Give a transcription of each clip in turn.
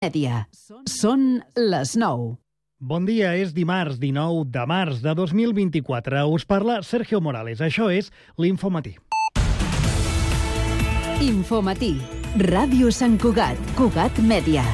Mèdia. Són les 9. Bon dia, és dimarts 19 de març de 2024. Us parla Sergio Morales. Això és l'Infomatí. Infomatí. Ràdio Sant Cugat. Cugat Mèdia.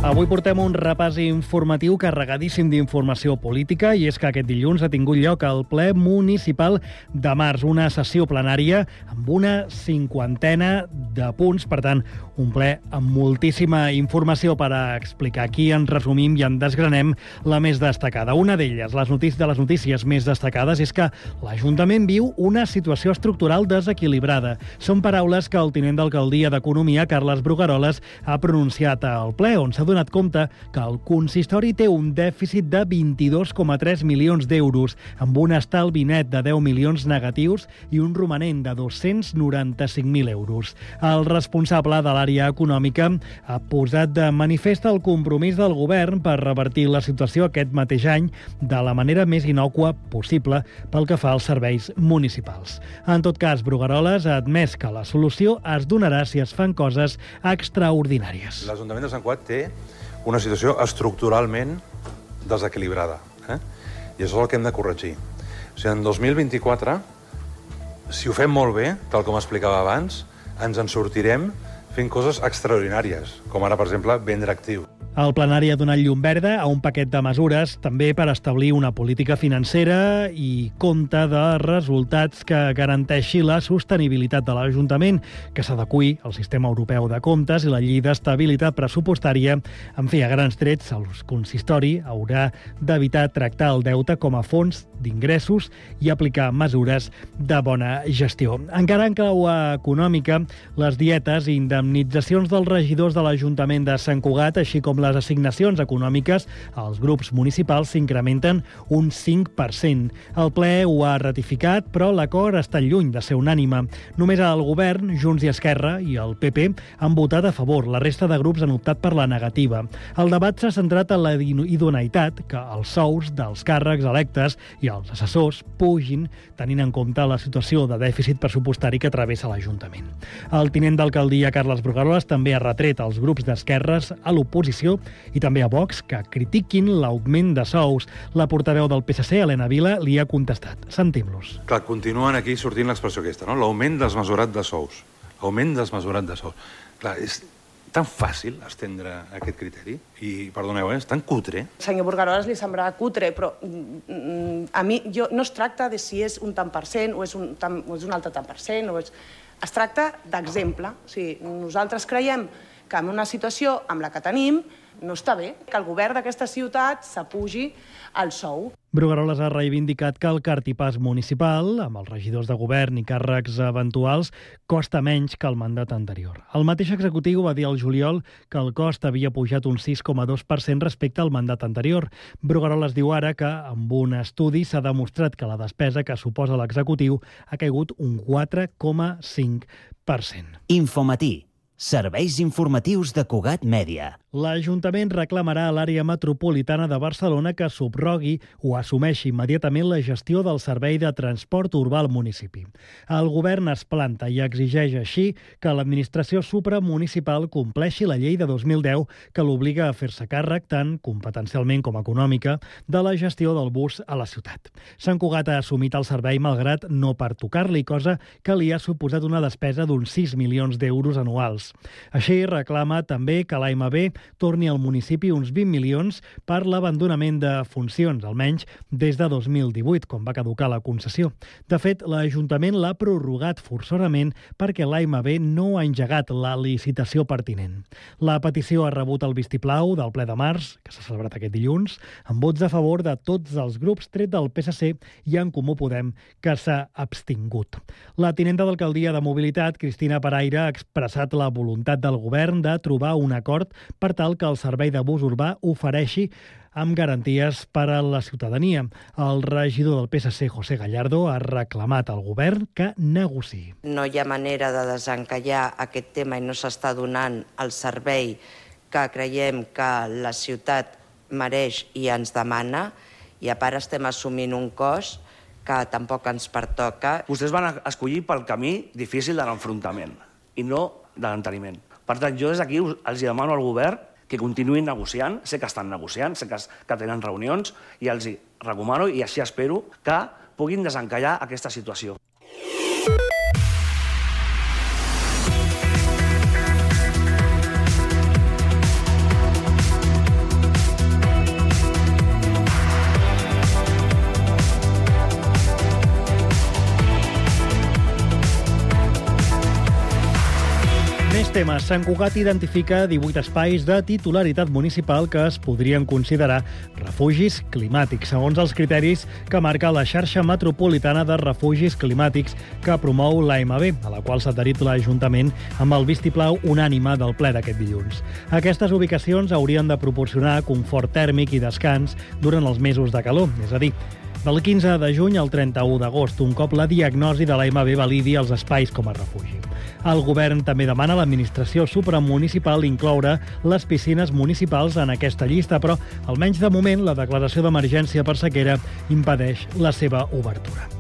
Avui portem un repàs informatiu carregadíssim d'informació política i és que aquest dilluns ha tingut lloc el ple municipal de març, una sessió plenària amb una 50ena de punts, per tant, un ple amb moltíssima informació per a explicar. Aquí en resumim i en desgranem la més destacada. Una d'elles, de les notícies més destacades, és que l'Ajuntament viu una situació estructural desequilibrada. Són paraules que el tinent d'alcaldia d'Economia, Carles Brugueroles, ha pronunciat al ple, on s'ha donat compte que el consistori té un dèficit de 22,3 milions d'euros, amb un estalvi net de 10 milions negatius i un romanent de 295.000 euros. El responsable de l'àrea econòmica ha posat de manifest el compromís del govern per revertir la situació aquest mateix any de la manera més innòcua possible pel que fa als serveis municipals. En tot cas, Brugueroles ha admès que la solució es donarà si es fan coses extraordinàries. L'Ajuntament de Sant Cugat té una situació estructuralment desequilibrada. I això és el que hem de corregir. O sigui, en 2024, si ho fem molt bé, tal com explicava abans, ens en sortirem fent coses extraordinàries, com ara, per exemple, vendre actiu. El plenari ha donat llum verda a un paquet de mesures també per establir una política financera i compte de resultats que garanteixi la sostenibilitat de l'Ajuntament, que s'adeqüi al sistema europeu de comptes i la llei d'estabilitat pressupostària. En fi, a grans trets, el consistori haurà d'evitar tractar el deute com a fons d'ingressos i aplicar mesures de bona gestió. Encara en clau econòmica, les dietes i indemnitzacions dels regidors de l'Ajuntament de Sant Cugat, així com les assignacions econòmiques als grups municipals s'incrementen un 5%. El ple ho ha ratificat, però l'acord està lluny de ser unànime. Només el govern, Junts i Esquerra i el PP han votat a favor. La resta de grups han optat per la negativa. El debat s'ha centrat en la idoneïtat que els sous dels càrrecs electes i els assessors pugin, tenint en compte la situació de dèficit pressupostari que travessa l'Ajuntament. El tinent d'alcaldia, Carles Brugueroles, també ha retret als grups d'esquerres a l'oposició i també a Vox que critiquin l'augment de sous. La portaveu del PSC, Helena Vila, li ha contestat. Sentim-los. Clar, continuen aquí sortint l'expressió aquesta, no? L'augment desmesurat de sous. L'augment desmesurat de sous. Clar, és tan fàcil estendre aquest criteri i, perdoneu, és tan cutre. Senyor Brugueroles li semblava cutre, però a mi no es tracta de si és un tant per cent o és un altre tant per cent. Es tracta d'exemple. O sigui, nosaltres creiem que en una situació amb la que tenim no està bé que el govern d'aquesta ciutat s'apugi el sou. Brugueroles ha reivindicat que el cartipàs municipal, amb els regidors de govern i càrrecs eventuals, costa menys que el mandat anterior. El mateix executiu va dir al juliol que el cost havia pujat un 6,2% respecte al mandat anterior. Brugueroles diu ara que, amb un estudi, s'ha demostrat que la despesa que suposa l'executiu ha caigut un 4,5%. Infomatí. Serveis informatius de Cugat Mèdia. L'Ajuntament reclamarà a l'àrea metropolitana de Barcelona que subrogui o assumeixi immediatament la gestió del servei de transport urbà al municipi. El govern es planta i exigeix així que l'administració supramunicipal compleixi la llei de 2010 que l'obliga a fer-se càrrec, tant competencialment com econòmica, de la gestió del bus a la ciutat. Sant Cugat ha assumit el servei malgrat no pertocar-li, cosa que li ha suposat una despesa d'uns 6 milions d'euros anuals. Així, reclama també que l'AMB torni al municipi uns 20 milions per l'abandonament de funcions, almenys des de 2018, quan va caducar la concessió. De fet, l'Ajuntament l'ha prorrogat forçosament perquè l'AMB no ha engegat la licitació pertinent. La petició ha rebut el vistiplau del ple de març, que s'ha celebrat aquest dilluns, amb vots a favor de tots els grups, tret del PSC i en Comú Podem, que s'ha abstingut. La tinenta d'alcaldia de Mobilitat, Cristina Paraire, ha expressat la voluntat del govern de trobar un acord per tal que el servei de bus urbà ofereixi amb garanties per a la ciutadania. El regidor del PSC, José Gallardo, ha reclamat al govern que negociï. No hi ha manera de desencallar aquest tema i no s'està donant el servei que creiem que la ciutat mereix i ens demana, i a part estem assumint un cost que tampoc ens pertoca. Vostès van escollir pel camí difícil de l'enfrontament i no de l'enteniment. Per tant, jo des d'aquí els demano al govern que continuïn negociant. Sé que estan negociant, sé que tenen reunions i els recomano i així espero que puguin desencallar aquesta situació. Més temes. Sant Cugat identifica 18 espais de titularitat municipal que es podrien considerar refugis climàtics, segons els criteris que marca la xarxa metropolitana de refugis climàtics que promou l'AMB, a la qual s'ha adherit l'Ajuntament amb el vistiplau unànime del ple d'aquest dilluns. Aquestes ubicacions haurien de proporcionar confort tèrmic i descans durant els mesos de calor, és a dir, del 15 de juny al 31 d'agost, un cop la diagnosi de l'AMB validi els espais com a refugi. El govern també demana a l'administració supramunicipal incloure les piscines municipals en aquesta llista, però, almenys de moment, la declaració d'emergència per sequera impedeix la seva obertura.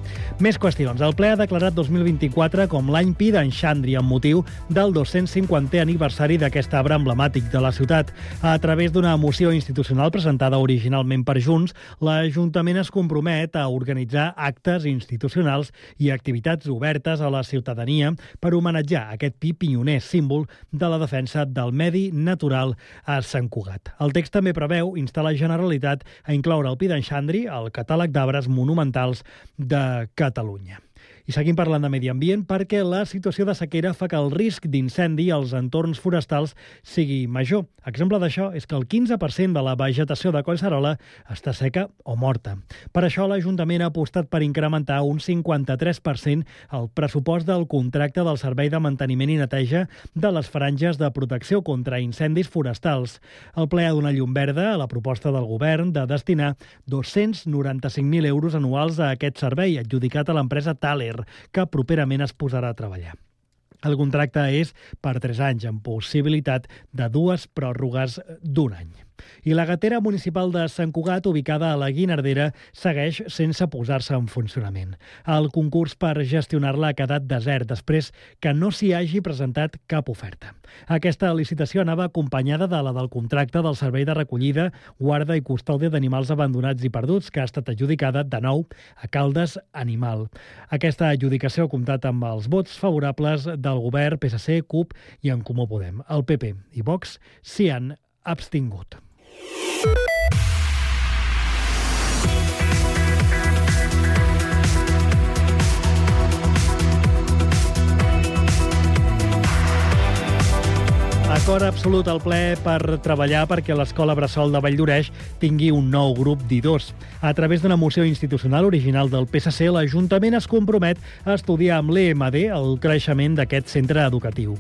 Més qüestions. El ple ha declarat 2024 com l'any Pi d'en Xandri amb motiu del 250è aniversari d'aquest arbre emblemàtic de la ciutat. A través d'una moció institucional presentada originalment per Junts, l'Ajuntament es compromet a organitzar actes institucionals i activitats obertes a la ciutadania per homenatjar aquest pi pioner, símbol de la defensa del medi natural a Sant Cugat. El text també preveu instar la Generalitat a incloure el Pi d'en Xandri al catàleg d'arbres monumentals de Catalunya. I seguim parlant de medi ambient perquè la situació de sequera fa que el risc d'incendi als entorns forestals sigui major. Exemple d'això és que el 15% de la vegetació de Collserola està seca o morta. Per això l'Ajuntament ha apostat per incrementar un 53% el pressupost del contracte del Servei de Manteniment i Neteja de les franges de protecció contra incendis forestals. El ple ha donat llum verda a la proposta del govern de destinar 295.000 euros anuals a aquest servei, adjudicat a l'empresa Thaler, que properament es posarà a treballar. El contracte és per 3 anys, amb possibilitat de 2 pròrrogues d'1 any. I la gatera municipal de Sant Cugat, ubicada a la Guinardera, segueix sense posar-se en funcionament. El concurs per gestionar-la ha quedat desert després que no s'hi hagi presentat cap oferta. Aquesta licitació anava acompanyada de la del contracte del Servei de Recollida, Guarda i Custòdia d'Animals Abandonats i Perduts, que ha estat adjudicada de nou a Caldes Animal. Aquesta adjudicació ha comptat amb els vots favorables del govern, PSC, CUP i En Comú Podem. El PP i Vox s'hi han abstingut. Acord absolut al ple per treballar perquè l'Escola Bressol de Valldoreix tingui un nou grup d'I2. A través d'una moció institucional original del PSC, l'Ajuntament es compromet a estudiar amb l'EMD el creixement d'aquest centre educatiu.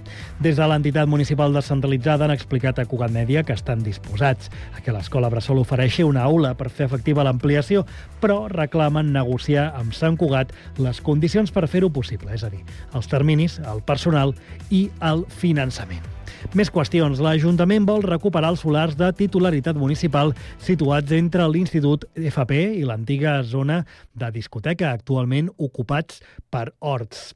Des de l'entitat municipal descentralitzada han explicat a Cugat Mèdia que estan disposats a que l'Escola Bressol ofereixi una aula per fer efectiva l'ampliació, però reclamen negociar amb Sant Cugat les condicions per fer-ho possible, és a dir, els terminis, el personal i el finançament. Més qüestions. L'Ajuntament vol recuperar els solars de titularitat municipal situats entre l'Institut FP i l'antiga zona de discoteca, actualment ocupats per horts.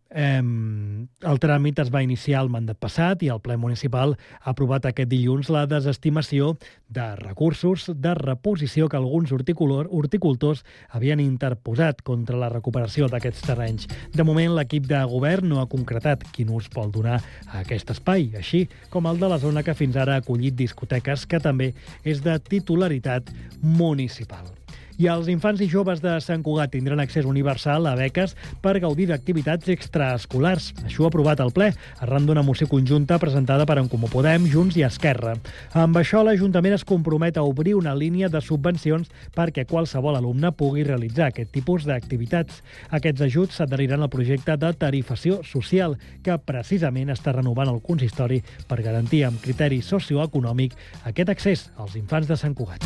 El tràmit es va iniciar el mandat passat i el ple municipal ha aprovat aquest dilluns la desestimació de recursos de reposició que alguns horticultors havien interposat contra la recuperació d'aquests terrenys. De moment, l'equip de govern no ha concretat quin ús vol donar a aquest espai, així com el de la zona que fins ara ha acollit discoteques, que també és de titularitat municipal. I els infants i joves de Sant Cugat tindran accés universal a beques per gaudir d'activitats extraescolars. Això ha aprovat el ple, arran d'una moció conjunta presentada per En Comú Podem, Junts i Esquerra. Amb això, l'Ajuntament es compromet a obrir una línia de subvencions perquè qualsevol alumne pugui realitzar aquest tipus d'activitats. Aquests ajuts s'adheriran al projecte de tarifació social, que precisament està renovant el consistori per garantir amb criteri socioeconòmic aquest accés als infants de Sant Cugat.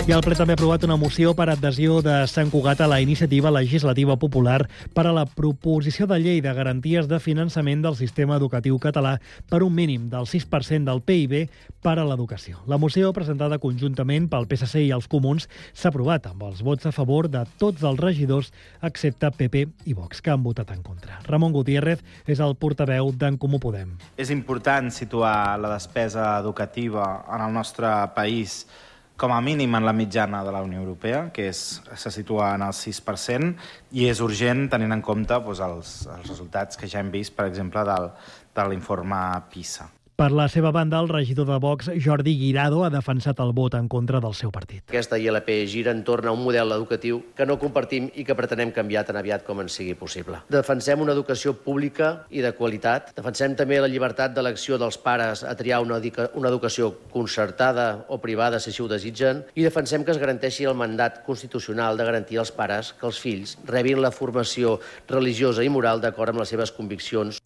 I el ple també ha aprovat una moció per adhesió de Sant Cugat a la iniciativa legislativa popular per a la proposició de llei de garanties de finançament del sistema educatiu català per un mínim del 6% del PIB per a l'educació. La moció, presentada conjuntament pel PSC i els Comuns, s'ha aprovat amb els vots a favor de tots els regidors, excepte PP i Vox, que han votat en contra. Ramon Gutiérrez és el portaveu d'en Comú Podem. És important situar la despesa educativa en el nostre país com a mínim en la mitjana de la Unió Europea, que se situa en el 6%, i és urgent tenint en compte els resultats que ja hem vist, per exemple, de l'informe PISA. Per la seva banda, el regidor de Vox, Jordi Guirado, ha defensat el vot en contra del seu partit. Aquesta ILP gira entorn a un model educatiu que no compartim i que pretenem canviar tan aviat com ens sigui possible. Defensem una educació pública i de qualitat. Defensem també la llibertat d'elecció dels pares a triar una educació concertada o privada, si així ho desitgen, i defensem que es garanteixi el mandat constitucional de garantir als pares que els fills rebin la formació religiosa i moral d'acord amb les seves conviccions.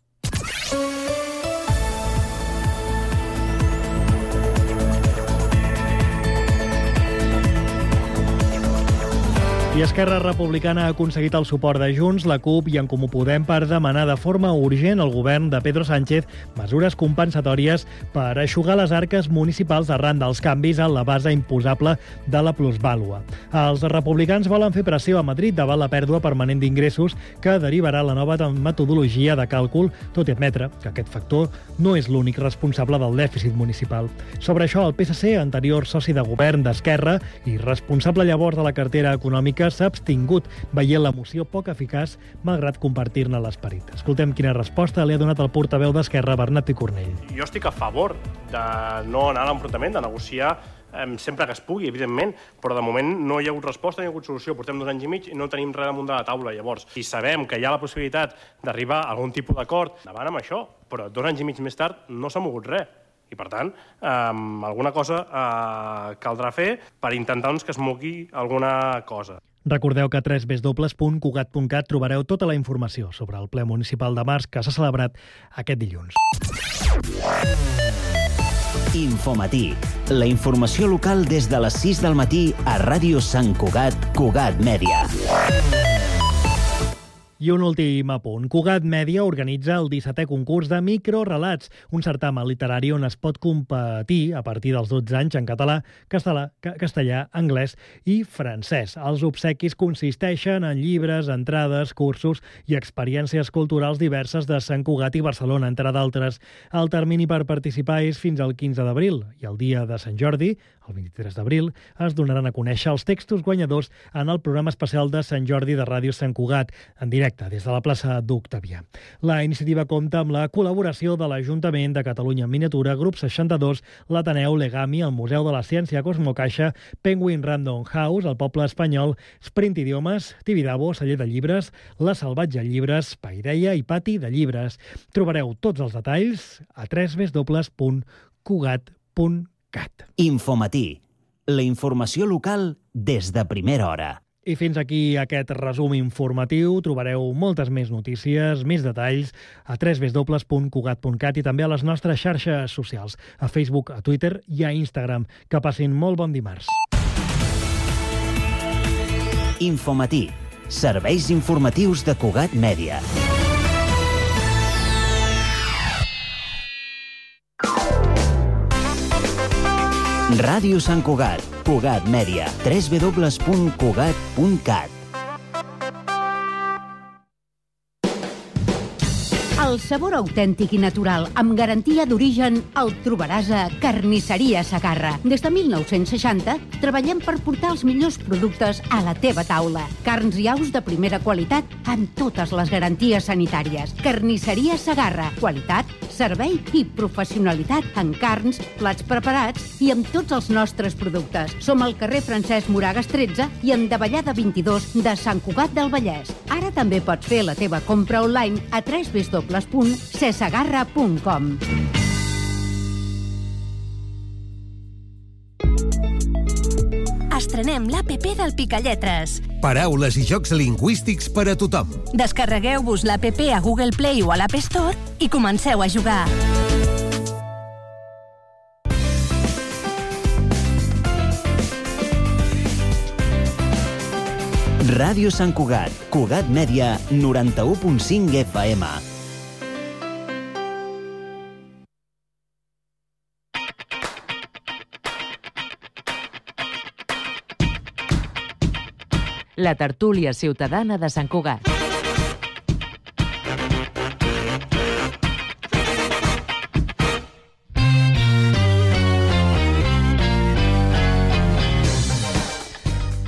I Esquerra Republicana ha aconseguit el suport de Junts, la CUP i en Comú Podem per demanar de forma urgent al govern de Pedro Sánchez mesures compensatòries per eixugar les arques municipals arran dels canvis en la base imposable de la plusvàlua. Els republicans volen fer pressió a Madrid davant la pèrdua permanent d'ingressos que derivarà la nova metodologia de càlcul, tot i admetre que aquest factor no és l'únic responsable del dèficit municipal. Sobre això, el PSC, anterior soci de govern d'Esquerra i responsable llavors de la cartera econòmica, s'ha abstingut, veient la moció poc eficaç, malgrat compartir-ne l'esperit. Escoltem quina resposta li ha donat el portaveu d'Esquerra, Bernat Picornell. Jo estic a favor de no anar a l'enfrontament, de negociar sempre que es pugui, evidentment, però de moment no hi ha hagut resposta, no hi ha hagut solució. Portem 2 anys i mig i no tenim res damunt de la taula. Llavors, si sabem que hi ha la possibilitat d'arribar a algun tipus d'acord, davant amb això, però 2 anys i mig més tard no s'ha mogut res. I, per tant, alguna cosa caldrà fer per intentar que es mogui alguna cosa. Recordeu que a www.cugat.cat trobareu tota la informació sobre el ple municipal de març que s'ha celebrat aquest dilluns. Infomatí. La informació local des de les 6 del matí a Ràdio Sant Cugat, Cugat Mèdia. I un últim apunt. Cugat Mèdia organitza el 17è concurs de microrelats, un certamen literari on es pot competir a partir dels 12 anys en català, castellà, anglès i francès. Els obsequis consisteixen en llibres, entrades, cursos i experiències culturals diverses de Sant Cugat i Barcelona, entre d'altres. El termini per participar és fins al 15 d'abril i el dia de Sant Jordi, el 23 d'abril, es donaran a conèixer els textos guanyadors en el programa especial de Sant Jordi de Ràdio Sant Cugat, en directe des de la plaça d'Octavià. La iniciativa compta amb la col·laboració de l'Ajuntament de Catalunya en Miniatura, Grup 62, l'Ateneu, l'Egami, el Museu de la Ciència Cosmocaixa, Penguin Random House, el Poble Espanyol, Sprint Idiomes, Tibidabo, Celler de Llibres, La Salvatge Llibres, Paideia i Pati de Llibres. Trobareu tots els detalls a www.cugat.cat. Infomatí. La informació local des de primera hora. I fins aquí aquest resum informatiu. Trobareu moltes més notícies, més detalls a www.cugat.cat i també a les nostres xarxes socials, a Facebook, a Twitter i a Instagram. Que passin molt bon dimarts. Infomatí. Serveis informatius de Cugat Mèdia. Ràdio Sant Cugat, Cugat Mèdia, www.cugat.cat. El sabor autèntic i natural, amb garantia d'origen, el trobaràs a Carnisseria Segarra. Des de 1960 treballem per portar els millors productes a la teva taula. Carns i aus de primera qualitat amb totes les garanties sanitàries. Carnisseria Segarra. Qualitat, servei i professionalitat en carns, plats preparats i amb tots els nostres productes. Som al carrer Francesc Moragas 13 i en Davallada 22 de Sant Cugat del Vallès. Ara també pots fer la teva compra online a www.cesegarra.com. Estrenem l'APP del Picalletres. Paraules i jocs lingüístics per a tothom. Descarregueu-vos l'APP a Google Play o a l'App Store i comenceu a jugar. Ràdio Sant Cugat, Cugat Mèdia, 91.5 FM. La tertúlia ciutadana de Sant Cugat.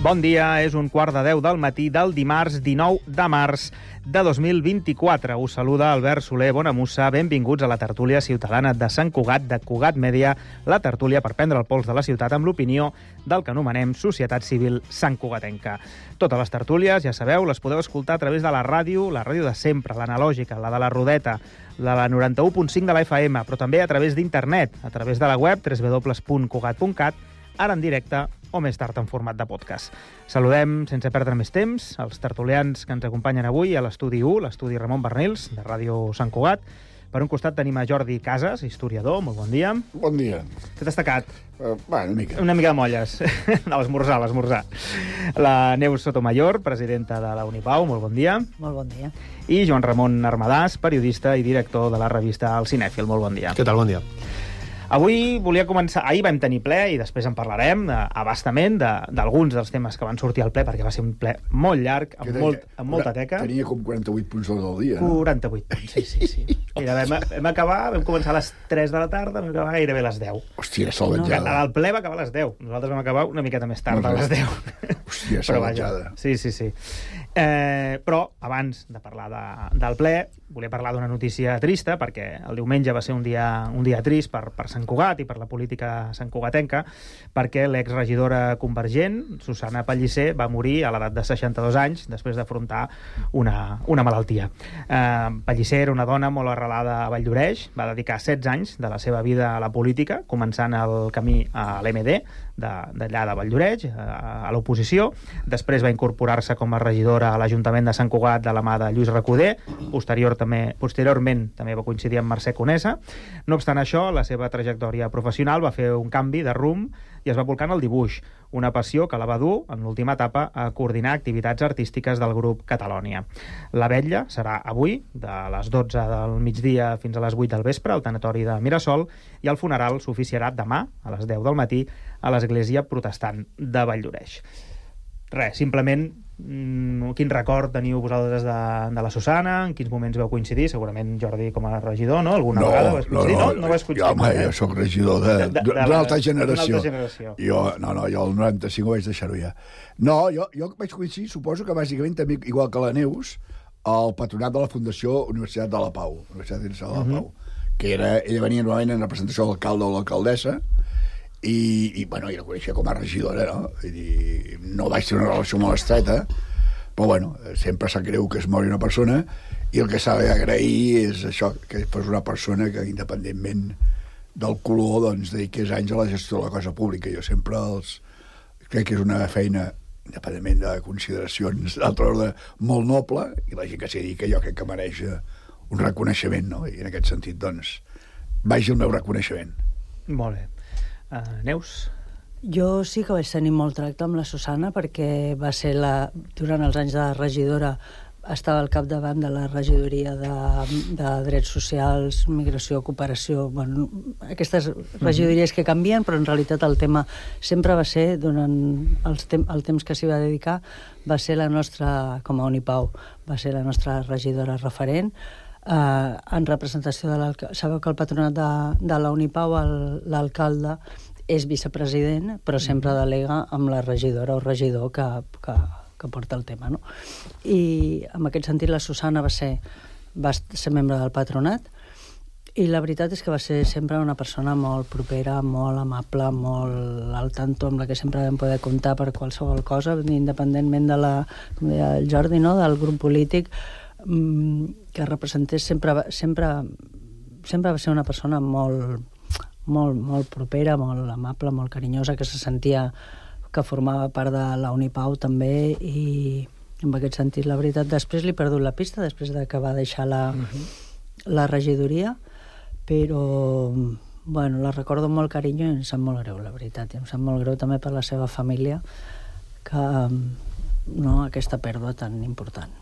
Bon dia, és 9:15 del matí del dimarts 19 de març de 2024. Us saluda Albert Soler Bonamussa. Benvinguts a la tertúlia ciutadana de Sant Cugat, de Cugat Mèdia, la tertúlia per prendre el pols de la ciutat amb l'opinió del que anomenem Societat Civil Santcugatenca. Totes les tertúlies, ja sabeu, les podeu escoltar a través de la ràdio de sempre, l'analògica, la de la Rodeta, la 91.5 de la FM, però també a través d'internet, a través de la web www.cugat.cat, ara en directe o més tard en format de podcast. Saludem, sense perdre més temps, els tertulians que ens acompanyen avui a l'estudi 1, l'estudi Ramon Bernils, de Ràdio Sant Cugat. Per un costat tenim a Jordi Casas, historiador, molt bon dia. Bon dia. Què t'has tacat? Una mica. Una mica de molles. No, l'esmorzar. La Neus Sotomayor, presidenta de la Unipau, molt bon dia. Molt bon dia. I Joan Ramon Armadàs, periodista i director de la revista El Cinèfil, molt bon dia. Què tal, bon dia. Avui volia començar... Ahir vam tenir ple i després en parlarem abastament d'alguns dels temes que van sortir al ple, perquè va ser un ple molt llarg, amb molta teca. Tenia com 48 punts del dia, no? 48 punts, sí. Mira, vam començar a les 3 de la tarda, vam acabar gairebé a les 10. Hòstia, salvatjada. El ple va acabar a les 10. Nosaltres vam acabar una miqueta més tard, a les 10. Hòstia, salvatjada. Sí. Però, abans de parlar del ple, volia parlar d'una notícia trista, perquè el diumenge va ser un dia trist per Sant Cugat i per la política santcugatenca, perquè l'exregidora convergent, Susana Pellicer, va morir a l'edat de 62 anys després d'afrontar una malaltia. Pellicer era una dona molt arrelada a Valldoreix, va dedicar 16 anys de la seva vida a la política, començant el camí a l'MD, d'allà de Valldoreix, a l'oposició. Després va incorporar-se com a regidora a l'Ajuntament de Sant Cugat de la mà de Lluís Recoder. Posteriorment també va coincidir amb Mercè Conesa. No obstant això, la seva trajectòria professional va fer un canvi de rumb i es va volcar en el dibuix, una passió que la va dur, en l'última etapa, a coordinar activitats artístiques del grup Catalònia. La vetlla serà avui, de les 12 del migdia fins a les 8 del vespre, al tanatori de Mirasol, i el funeral s'oficiarà demà, a les 10 del matí, a l'Església Protestant de Valldoreix. Res, simplement, quin record teniu vosaltres de la Susana? En quins moments vau coincidir? Segurament Jordi com a regidor, no? Alguna vegada vas coincidir? No vas coincidir. Jo soc regidor d'una altra generació. Jo el 95 ho vaig deixar-ho ja. No, jo vaig coincidir, suposo que bàsicament també, igual que la Neus, al patronat de la Fundació Universitat de la Pau, que ella venia normalment en representació de l'alcalde o l'alcaldessa, i la coneixia com a regidora, no? No vaig tenir una relació molt estreta, però sempre sap greu que es mori una persona, i el que s'ha d'agrair és això, que fos una persona que, independentment del color, dediqués anys a la gestió de la cosa pública. Jo sempre crec que és una feina, independentment de consideracions d'altre ordre, molt noble, i la gent que s'hi dedica jo crec que mereix un reconeixement, no? I en aquest sentit, vagi el meu reconeixement. Molt bé. Neus? Jo sí que vaig tenir molt tracte amb la Susana, perquè va ser durant els anys de regidora, estava al capdavant de la regidoria de Drets Socials, Migració, Cooperació, aquestes regidories que canvien, però en realitat el tema sempre va ser, durant el temps que s'hi va dedicar, va ser la nostra, com a Unipau, va ser la nostra regidora referent, en representació de l'alcalde. Sabeu que el patronat de la Unipau, l'alcalde és vicepresident, però sempre delega amb la regidora o regidor que porta el tema, no? I en aquest sentit la Susana va ser membre del patronat, i la veritat és que va ser sempre una persona molt propera, molt amable, molt al tanto, amb la que sempre vam poder comptar per qualsevol cosa, independentment de com deia el Jordi, no? Del grup polític, que representés sempre va ser una persona molt propera, molt amable, molt carinyosa, que se sentia que formava part de la Unipau també, i en aquest sentit, la veritat, després li he perdut la pista, després que va deixar la regidoria, però la recordo amb molt carinyo i em sap molt greu, la veritat, i em sap molt greu també per la seva família, que aquesta pèrdua tan important.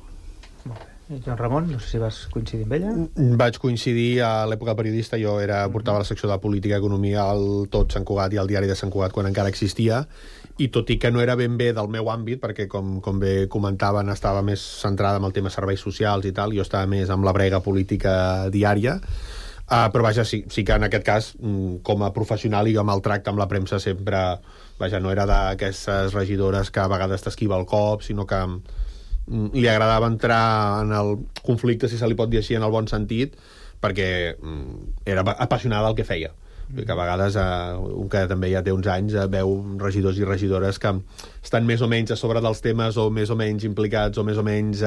Molt bé. Joan Ramon, no sé si vas coincidir amb ella. Vaig coincidir a l'època periodista, jo portava la secció de política i economia al Tot Sant Cugat i al diari de Sant Cugat quan encara existia, i tot i que no era ben bé del meu àmbit, perquè com bé comentaven estava més centrada en el tema serveis socials i tal, jo estava més amb la brega política diària, però vaja, sí que en aquest cas, com a professional i amb el tracte amb la premsa sempre, vaja, no era d'aquestes regidores que a vegades t'esquiva el cop, sinó que li agradava entrar en el conflicte, si se li pot dir així, en el bon sentit, perquè era apassionada del que feia. Que a vegades, un que també ja té uns anys, veu regidors i regidores que estan més o menys a sobre dels temes, o més o menys implicats, o més o menys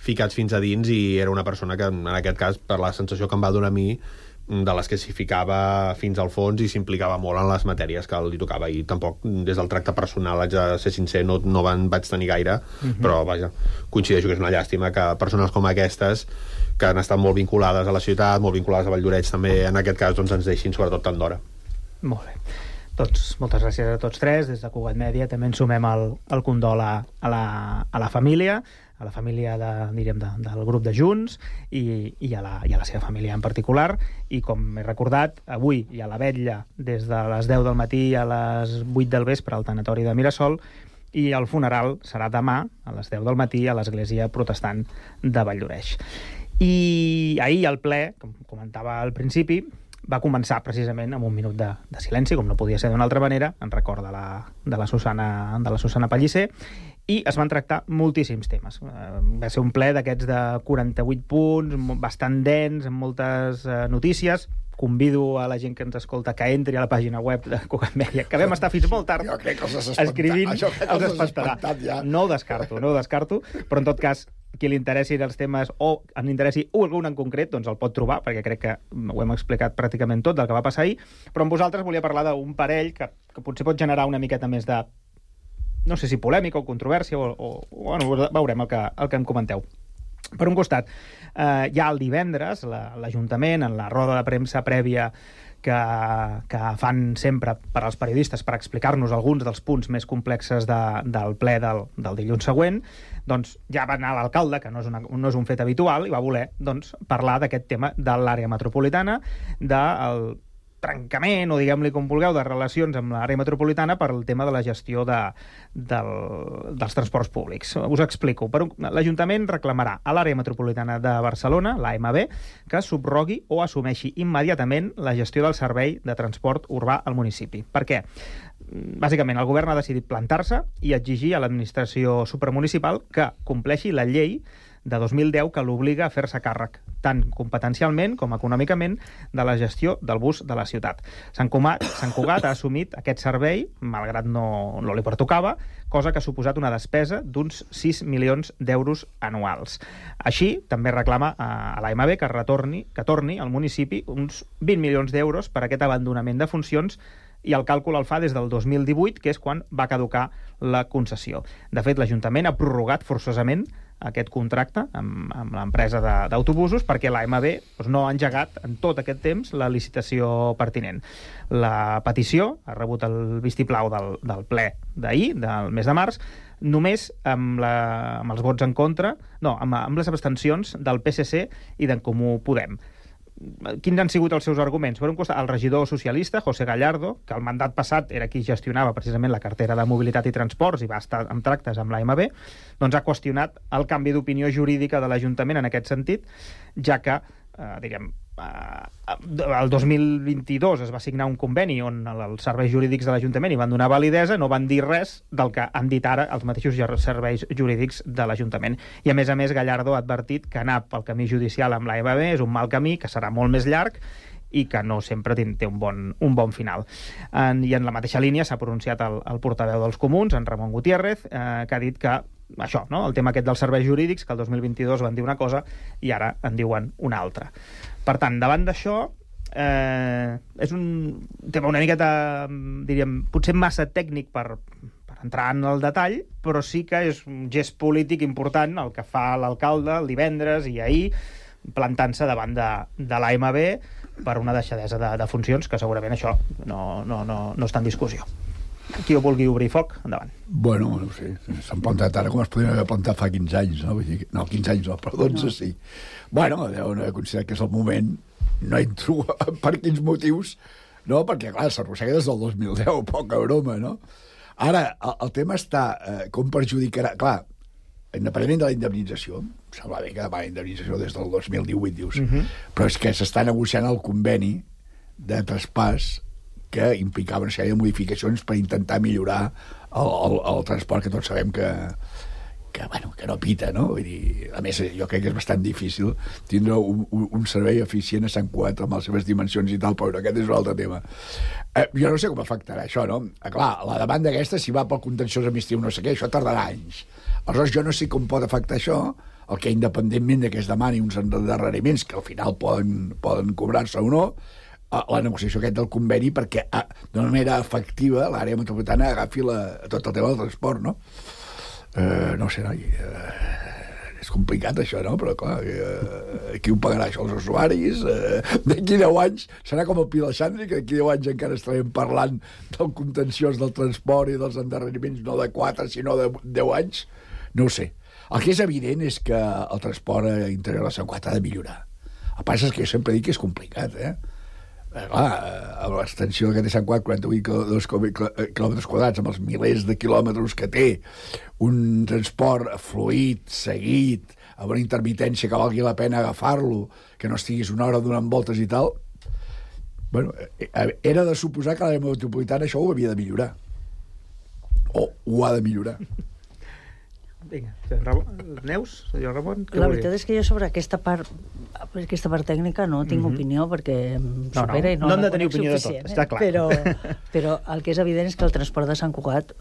ficats fins a dins, i era una persona que, en aquest cas, per la sensació que em va donar a mi, de les que s'hi ficava fins al fons i s'implicava molt en les matèries que li tocava, i tampoc des del tracte personal, haig de ser sincer, no vaig tenir gaire, però vaja, coincideixo que és una llàstima que persones com aquestes, que han estat molt vinculades a la ciutat, molt vinculades a Valldoreix també, en aquest cas doncs ens deixin sobretot tant d'hora. Molt bé. Doncs moltes gràcies a tots tres. Des de Cugat Mèdia també ens sumem el condol a la família, del grup de Junts i a la seva família en particular. I com he recordat, avui hi ha la vetlla des de les 10 del matí a les 8 del vespre al tanatori de Mirasol, i el funeral serà demà a les 10 del matí a l'Església Protestant de Valldoreix. I ahir el ple, com comentava al principi, va començar precisament amb un minut de silenci, com no podia ser d'una altra manera, en record de la Susana Pellicer, i es van tractar moltíssims temes. Va ser un ple d'aquests de 48 punts, bastant dens, amb moltes notícies. Convido a la gent que ens escolta que entri a la pàgina web de Cugat Mèdia, que vam estar fins molt tard escrivint, els espantarà. No ho descarto, però en tot cas, qui li interessin els temes o en interessi algun en concret, doncs el pot trobar, perquè crec que ho hem explicat pràcticament tot del que va passar ahir, però amb vosaltres volia parlar d'un parell que potser pot generar una miqueta més de, no sé si polèmica o controvèrsia, bueno, veurem el que em comenteu. Per un costat, ja el divendres, l'Ajuntament, en la roda de premsa prèvia que fan sempre per als periodistes per explicar-nos alguns dels punts més complexes del ple del dilluns següent, doncs ja va anar l'alcalde, que no és un fet habitual, i va voler parlar d'aquest tema de l'àrea metropolitana, del trencament, o diguem-li com vulgueu, de relacions amb l'àrea metropolitana per el tema de la gestió dels transports públics. Us explico. L'Ajuntament reclamarà a l'àrea metropolitana de Barcelona, l'AMB, que subrogui o assumeixi immediatament la gestió del servei de transport urbà al municipi. Per què? Bàsicament, el govern ha decidit plantar-se i exigir a l'administració supramunicipal que compleixi la llei de 2010 que l'obliga a fer-se càrrec, tant competencialment com econòmicament, de la gestió del bus de la ciutat. Sant Cugat ha assumit aquest servei, malgrat no li pertocava, cosa que ha suposat una despesa d'uns 6 milions d'euros anuals. Així, també reclama a l'AMB que torni al municipi uns 20 milions d'euros per aquest abandonament de funcions, i el càlcul el fa des del 2018, que és quan va caducar la concessió. De fet, l'Ajuntament ha prorrogat forçosament aquest contracte amb l'empresa d'autobusos perquè l'AMB no ha engegat en tot aquest temps la licitació pertinent. La petició ha rebut el vistiplau del ple d'ahir, del mes de març, només amb els vots en contra, amb les abstencions del PSC i d'en Comú Podem. Quins han sigut els seus arguments? Per un costat, el regidor socialista, José Gallardo, que el mandat passat era qui gestionava precisament la cartera de mobilitat i transports i va estar en tractes amb l'AMB, doncs ha qüestionat el canvi d'opinió jurídica de l'Ajuntament en aquest sentit, ja que, el 2022 es va signar un conveni on els serveis jurídics de l'Ajuntament hi van donar validesa, no van dir res del que han dit ara els mateixos serveis jurídics de l'Ajuntament. I a més, Gallardo ha advertit que anar pel camí judicial amb l'AMB és un mal camí, que serà molt més llarg i que no sempre té un bon final. I en la mateixa línia s'ha pronunciat el portaveu dels Comuns, en Ramon Gutiérrez, que ha dit que això, el tema aquest dels serveis jurídics, que el 2022 van dir una cosa i ara en diuen una altra. Per tant, davant d'això, és un tema una miqueta, diríem, potser massa tècnic per entrar en el detall, però sí que és un gest polític important el que fa l'alcalde el divendres i ahir, plantant-se davant de l'AMB per una deixadesa de funcions, que segurament això no està en discussió. qui ho vulgui obrir foc, endavant. Bueno, no sé, s'han plantat ara com es podrien haver plantat fa 15 anys, no? Vull dir, no, 15 anys no, però 12 sí. Bueno, deuen haver considerat que és el moment, no entro per quins motius, no? Perquè, clar, s'arrossega des del 2010, poca broma, no? Ara, el tema està com perjudicarà... Clar, independentment de la indemnització, sembla bé que demà la indemnització des del 2018, dius, però és que s'està negociant el conveni de traspàs que implicava una sèrie de modificacions per intentar millorar el transport, que tots sabem que no pita, no? Vull dir, a més, jo crec que és bastant difícil tindre un servei eficient a Sant Cugat amb les seves dimensions i tal, però aquest és un altre tema. Jo no sé com afectarà això, no? Clar, la demanda aquesta, si va pel contenciós administratiu no sé què, això tardarà anys. Aleshores, jo no sé com pot afectar això, el que independentment de que es demani uns endarreriments que al final poden cobrar-se o no, la negociació aquest del conveni perquè d'una manera efectiva l'àrea metropolitana agafi tot el tema del transport, no? No sé, noi, és complicat això, no? Però clar, qui ho pagarà això? Els usuaris? D'aquí 10 anys serà com el Pilaxandri, que d'aquí 10 anys encara estarem parlant del contenciós del transport i dels endarreriments no de 4 sinó de 10 anys? No ho sé. El que és evident és que el transport interior de Sant Cugat ha de millorar. El que passa és que jo sempre dic que és complicat, clar, l'extensió que té Sant Cugat, 48 quilòmetres quadrats, amb els milers de quilòmetres que té, un transport fluid, seguit, amb una intermitència que valgui la pena agafar-lo, que no estiguis una hora donant voltes i tal, bueno, era de suposar que l'àrea metropolitana això ho havia de millorar. O ho ha de millorar. Vinga, Neus, senyor Ramon, què La volia? veritat és que jo sobre aquesta part tècnica no tinc opinió perquè em supera i no hem de la tenir conec opinió de suficient, tot, està clar. Però el que és evident és que el transport de Sant Cugat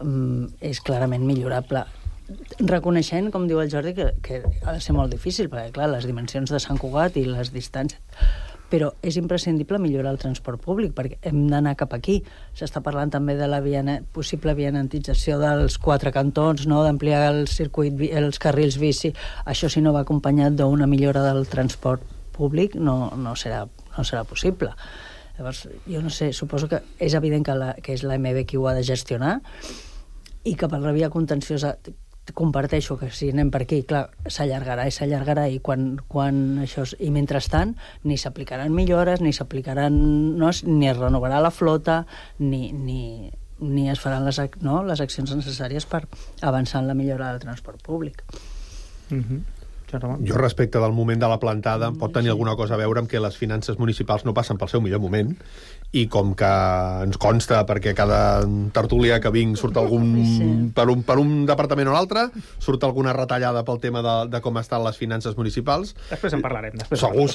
és clarament millorable, reconeixent, com diu el Jordi, que ha de ser molt difícil, perquè clar, les dimensions de Sant Cugat i les distàncies, però és imprescindible millorar el transport públic perquè hem d'anar cap aquí. S'està parlant també de la possible vianantització dels 4 cantons, no? D'ampliar el circuit, els carrils bici. Això, si no va acompanyat d'una millora del transport públic, no serà possible. Llavors, jo no sé, suposo que és evident que és l'AMB qui ho ha de gestionar i que per la via contenciosa comparteixo que si anem per aquí, clar, s'allargarà i quan això... I mentrestant, ni s'aplicaran millores, ni s'aplicaran... No, ni es renovarà la flota, ni es faran les accions necessàries per avançar en la millora del transport públic. Jo, respecte del moment de la plantada, pot tenir alguna cosa a veure amb que les finances municipals no passen pel seu millor moment i com que ens consta, perquè cada tertúlia que vinc surt algun... Per un departament o l'altre, surt alguna retallada pel tema de com estan les finances municipals. Després en parlarem. Segur.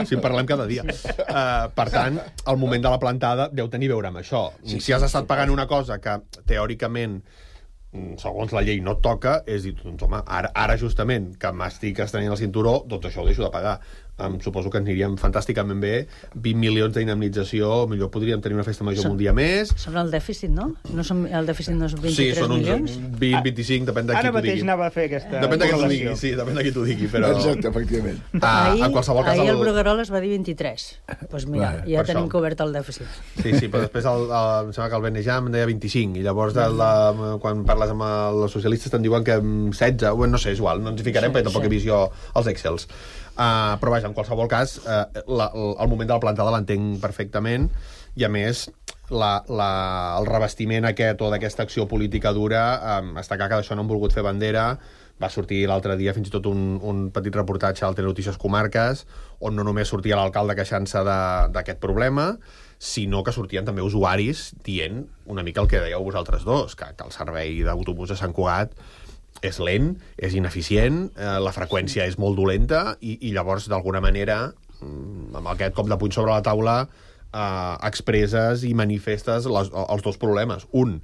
Si en parlem cada dia. Per tant, el moment de la plantada deu tenir a veure amb això. Si has estat pagant una cosa que, teòricament, segons la llei no et toca, és dir, doncs home, ara justament que m'estic estenent el cinturó, doncs això ho deixo de pagar. Suposo que ens aniríem fantàsticament bé, 20 milions d'indemnització, millor podríem tenir una festa major un dia més. Són el dèficit, no? El dèficit no és 23 milions? Sí, són uns 20, 25, depèn de qui t'ho digui. Ara mateix anava a fer aquesta... Depèn de qui t'ho digui, sí, depèn de qui t'ho digui, però... Exacte, efectivament. En qualsevol cas... Ahir el Bruguerol es va dir 23. Doncs mira, ja tenim cobert el dèficit. Sí, però després em sembla que el Benejam deia 25, i llavors quan parles amb els socialistes te'n diuen que 16, no sé, és igual, no ens hi ficarem perquè tampoc he vist jo els Excels. Però vaja, en qualsevol cas, el moment de la plantada l'entenc perfectament, i a més el revestiment aquest o d'aquesta acció política dura, està clar que d'això no han volgut fer bandera. Va sortir l'altre dia fins i tot un petit reportatge al Telenotícies Comarques, on no només sortia l'alcalde queixant-se d'aquest problema, sinó que sortien també usuaris dient una mica el que dèieu vosaltres dos, que el servei d'autobús a Sant Cugat és lent, és ineficient, la freqüència és molt dolenta i llavors, d'alguna manera, amb aquest cop de puny sobre la taula, expresses i manifestes els dos problemes. Un,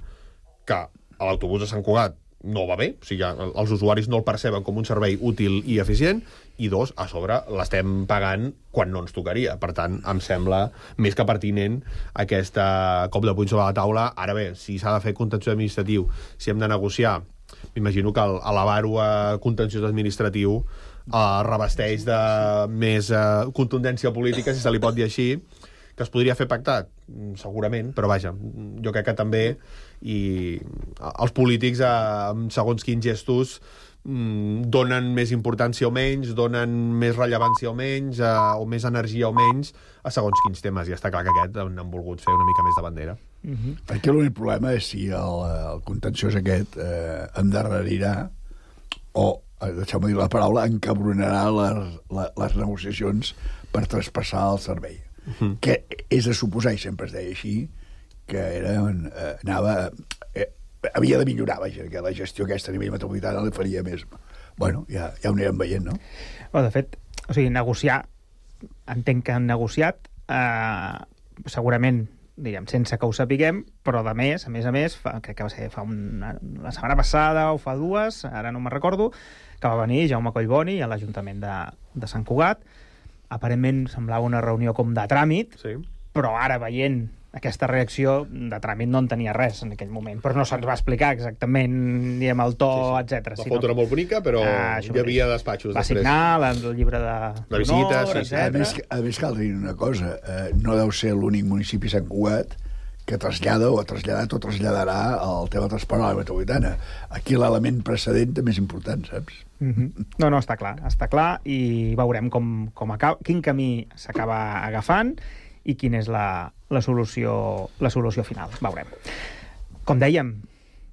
que l'autobús a Sant Cugat no va bé, o sigui, els usuaris no el perceben com un servei útil i eficient, i dos, a sobre l'estem pagant quan no ens tocaria. Per tant, em sembla més que pertinent aquest cop de puny sobre la taula. Ara bé, si s'ha de fer contenciós administratiu, si hem de negociar, m'imagino que elevar-ho a contenciós administratiu revesteix de més contundència política, si se li pot dir així, que es podria fer pactat, segurament, però vaja, jo crec que també els polítics, segons quins gestos, donen més importància o menys, donen més rellevància o menys, o més energia o menys a segons quins temes, i està clar que aquest han volgut fer una mica més de bandera. Aquí l'únic problema és si el contenciós aquest endarrerirà o, deixeu-me dir la paraula, encabronarà les negociacions per traspassar el servei, que és de suposar, i sempre es deia així, que havia de millorar, vaja, que la gestió aquesta a nivell metropolitana li faria més. Bueno, ja ho anirem veient, no? De fet, o sigui, negociar, entenc que han negociat, segurament, diguem, sense que ho sapiguem, però a més, crec que va ser la setmana passada o fa dues, ara no me'n recordo, que va venir Jaume Collboni a l'Ajuntament de Sant Cugat. Aparentment semblava una reunió com de tràmit, però ara veient aquesta reacció de tràmit no en tenia res en aquell moment, però no se'ns va explicar exactament, diguem, el to, etc. La foto era molt bonica, però hi havia despatxos. Va signar el llibre de visites, etc. A més, cal dir una cosa, no deu ser l'únic municipi Sant Cugat que trasllada o ha traslladat o traslladarà el tema de transport a la metropolitana. Aquí l'element precedent també és important, saps? No, està clar, i veurem quin camí s'acaba agafant i quina és la solució final. Veurem. Com dèiem,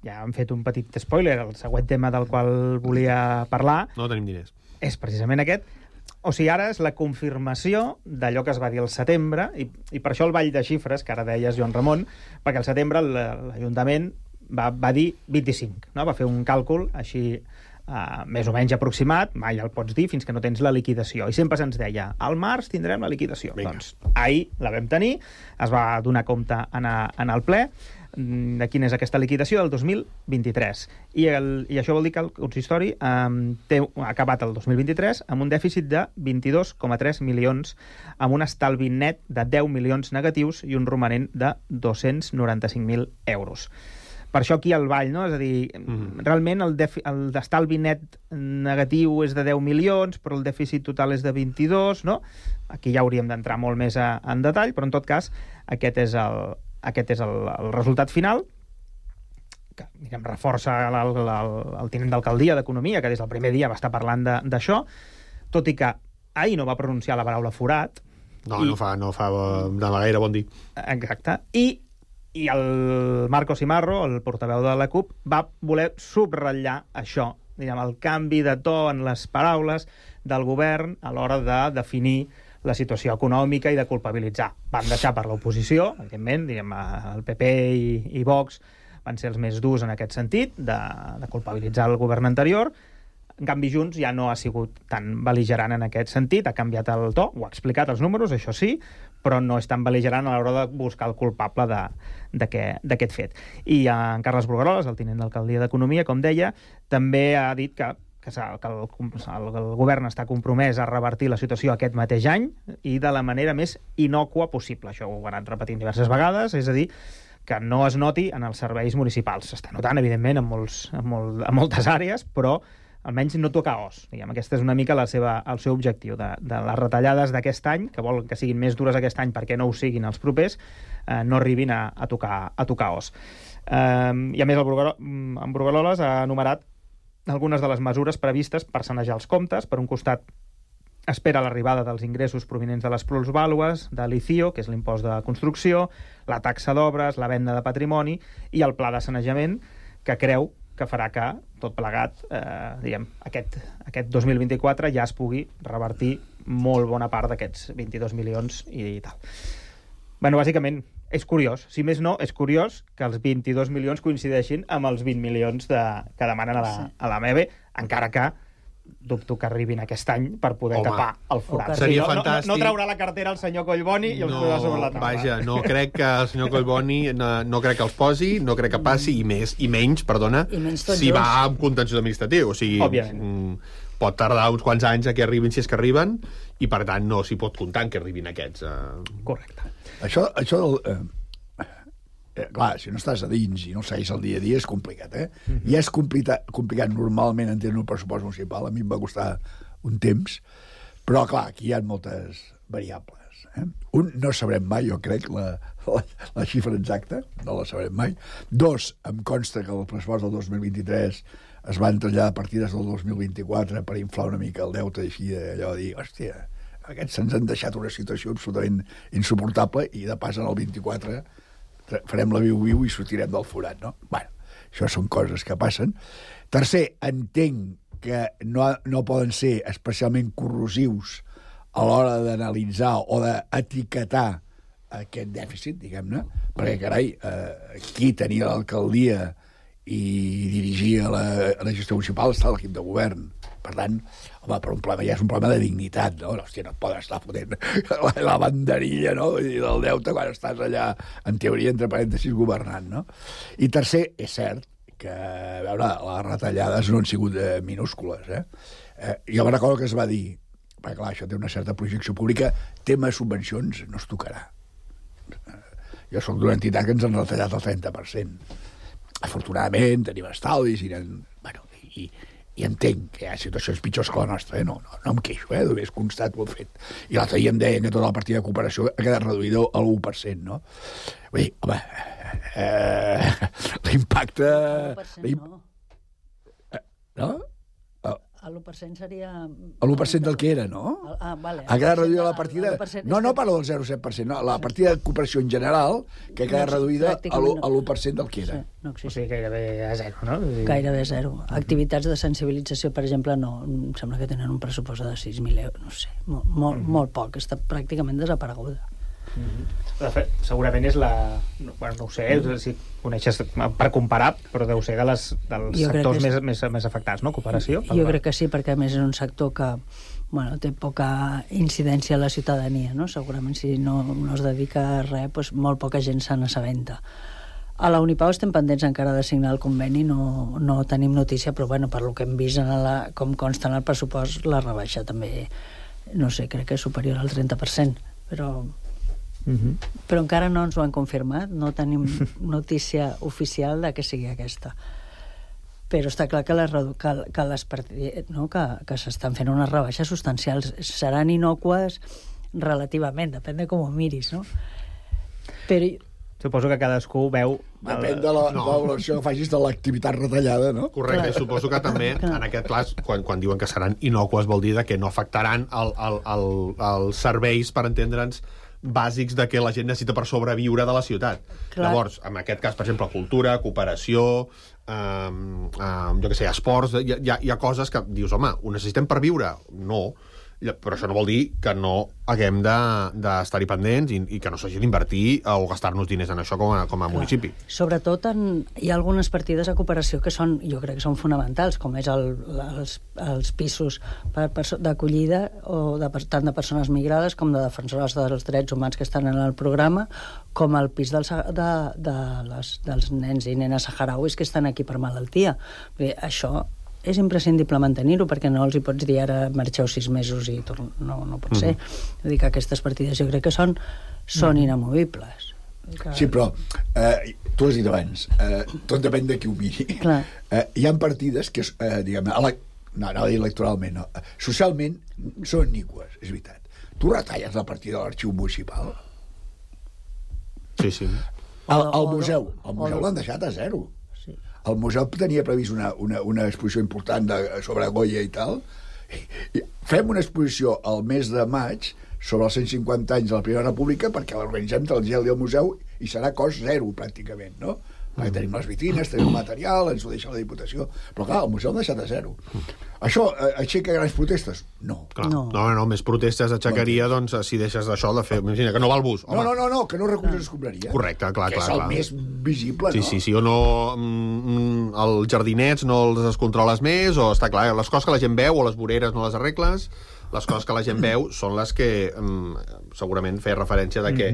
ja hem fet un petit spoiler, el següent tema del qual volia parlar... No tenim diners. És precisament aquest. O sigui, ara és la confirmació d'allò que es va dir al setembre, i per això el ball de xifres, que ara deies, Joan Ramon, perquè al setembre l'Ajuntament va dir 25, no? Va fer un càlcul així més o menys aproximat, mai el pots dir fins que no tens la liquidació, i sempre se'ns deia al març tindrem la liquidació. Doncs ahir la vam tenir, es va donar compte en el ple de quina és aquesta liquidació del 2023, i això vol dir que el consistori ha acabat el 2023 amb un dèficit de 22,3 milions, amb un estalvi net de 10 milions negatius i un romanent de 295.000 euros. Per això aquí el ball, no? És a dir, realment el estalvi net negatiu és de 10 milions, però el dèficit total és de 22, no? Aquí ja hauríem d'entrar molt més en detall, però en tot cas aquest és el resultat final, que reforça el tinent d'alcaldia d'Economia, que des del primer dia va estar parlant d'això, tot i que ahir no va pronunciar la paraula forat. No fa de gaire bon dir. Exacte. I el Marco Simarro, el portaveu de la CUP, va voler subratllar això, el canvi de to en les paraules del govern a l'hora de definir la situació econòmica i de culpabilitzar. Van deixar per l'oposició, evidentment, el PP i Vox van ser els més durs en aquest sentit, de culpabilitzar el govern anterior. En canvi, Junts ja no ha sigut tan bel·ligerant en aquest sentit, ha canviat el to, ho ha explicat els números, això sí, però no és tan bel·ligerant a l'hora de buscar el culpable d'aquest fet. I en Carles Brugueroles, el tinent d'alcaldia d'Economia, com deia, també ha dit que el govern està compromès a revertir la situació aquest mateix any i de la manera més innòcua possible. Això ho ha anat repetint diverses vegades, és a dir, que no es noti en els serveis municipals. S'està notant, evidentment, en moltes àrees, però almenys no tocar os. Aquest és una mica el seu objectiu, de les retallades d'aquest any, que volen que siguin més dures aquest any perquè no ho siguin els propers, no arribin a tocar os. I a més, en Brugueroles ha enumerat algunes de les mesures previstes per sanejar els comptes. Per un costat, espera l'arribada dels ingressos provinents de les plusvàlues, de l'ICIO, que és l'impost de construcció, la taxa d'obres, la venda de patrimoni i el pla de sanejament, que creu que farà que, tot plegat, aquest 2024 ja es pugui revertir molt bona part d'aquests 22 milions i tal. Bàsicament, és curiós. Si més no, és curiós que els 22 milions coincideixin amb els 20 milions que demanen a la MEBE, encara que dubto que arribin aquest any per poder tapar el forat. Seria fantàstic. No traurà la cartera el senyor Collboni i els posarà sobre la taula. Vaja, no crec que el senyor Collboni no crec que els posi, no crec que passi, i menys, si va amb contenciós administratiu. O sigui, pot tardar uns quants anys a que arribin, si és que arriben, i per tant no s'hi pot comptar en que arribin aquests. Correcte. Això clar, si no estàs a dins i no segueix el dia a dia és complicat, I és complicat normalment entendre un pressupost municipal. A mi em va costar un temps, però clar, aquí hi ha moltes variables. No sabrem mai, jo crec, la xifra exacta, no la sabrem mai. 2, em consta que el pressupost del 2023 es van traslladar partides del 2024 per inflar una mica el deute, així allò de dir, hòstia, aquests se'ns han deixat una situació absolutament insuportable i de pas en el 24 farem la viu-viu i sortirem del forat, no? Bueno, això són coses que passen. Tercer, entenc que no poden ser especialment corrosius a l'hora d'analitzar o d'etiquetar aquest dèficit, diguem-ne, perquè, carai, qui tenia l'alcaldia i dirigia la gestió municipal està a l'equip de govern. Per tant, home, per un problema ja és un problema de dignitat, no? Hòstia, no et poden estar fotent la banderilla, no?, del deute quan estàs allà, en teoria, entre parèntesis, governant, no? I tercer, és cert que, a veure, les retallades no han sigut minúscules, jo me recordo que es va dir, perquè clar, això té una certa projecció pública, tema subvencions no es tocarà. Jo soc d'una entitat que ens han retallat el 30%. Afortunadament, tenim estalvis, i entenc que hi ha situacions pitjors que la nostra, no em queixo, només constat ho he fet. I l'altre dia em deien que tota la partida de cooperació ha quedat reduïda a l'1%, no? Vull dir, home, l'impacte... No? L'1% seria... L'1% del que era, no? Vale. Ha quedat reduïda la partida... No parlo del 0,7%, no, la partida de cooperació en general, que ha quedat reduïda a l'1% del que era. O sigui, gairebé a zero, no? Gairebé a zero. Activitats de sensibilització, per exemple, no, em sembla que tenen un pressupost de 6.000 euros, no sé, molt poc, està pràcticament desapareguda. De fet, segurament és la... Bueno, no ho sé, si coneixes per comparar, però deu ser dels sectors més afectats, no? Cooperació. Jo crec que sí, perquè a més és un sector que té poca incidència a la ciutadania, no? Segurament si no es dedica a res, doncs molt poca gent se n'assabenta. A la Unipau estem pendents encara de signar el conveni, no tenim notícia, però bueno, per lo que hem vist com consta en el pressupost, la rebaixa també, no sé, crec que és superior al 30%, però encara no ens ho han confirmat, no tenim notícia oficial de que sigui aquesta. Però està clar que les partides, que s'estan fent unes rebaixes substancials, seran inocues relativament, depèn de com ho miris, no? Però suposo que cadascú veu... Depèn de la valoració que facis de l'activitat retallada, no? Correcte, suposo que també, en aquest cas, quan diuen que seran inocues, vol dir que no afectaran els serveis, per entendre'ns, bàsics de que la gent necessita per sobreviure de la ciutat. Llavors, en aquest cas, per exemple, cultura, cooperació, jo què sé, esports, hi ha coses que dius, home, ho necessitem per viure? No. Però això no vol dir que no haguem d'estar-hi pendents i que no s'hagi d'invertir o gastar-nos diners en això com a municipi. Sobretot hi ha algunes partides de cooperació que jo crec que són fonamentals, com és els pisos d'acollida tant de persones migrades com de defensores dels drets humans que estan en el programa, com el pis dels nens i nenes saharauis que estan aquí per malaltia. Això és imprescindible mantenir-ho, perquè no els hi pots dir ara marxeu 6 mesos i no pot ser. Vull dir que aquestes partides jo crec que són inamovibles. Sí, però tu has dit abans, tot depèn de qui ho miri. Hi ha partides que, diguem-ne, no electoralment, no, socialment són iniques, és veritat. Tu retalles la partida de l'arxiu municipal? Sí. El museu l'han deixat a zero. El museu tenia previst una exposició important sobre Goya i tal. Fem una exposició al mes de maig sobre els 150 anys de la Primera República perquè l'organitzem del gel del museu i serà cost zero, pràcticament, no? Perquè tenim les vitrines, tenim el material, ens ho deixa la Diputació. Però clar, el museu l'ha deixat a zero. Això aixeca grans protestes? No. No, més protestes aixecaria, doncs, si deixes d'això de fer... Imagina, que no va al bus. No, que no reculls escombraria. Correcte, clar. Que és el més visible, no? Sí, o no... Els jardinets no els controles més, o està clar, les coses que la gent veu o les voreres no les arregles, les coses que la gent veu són les que segurament feia referència de que...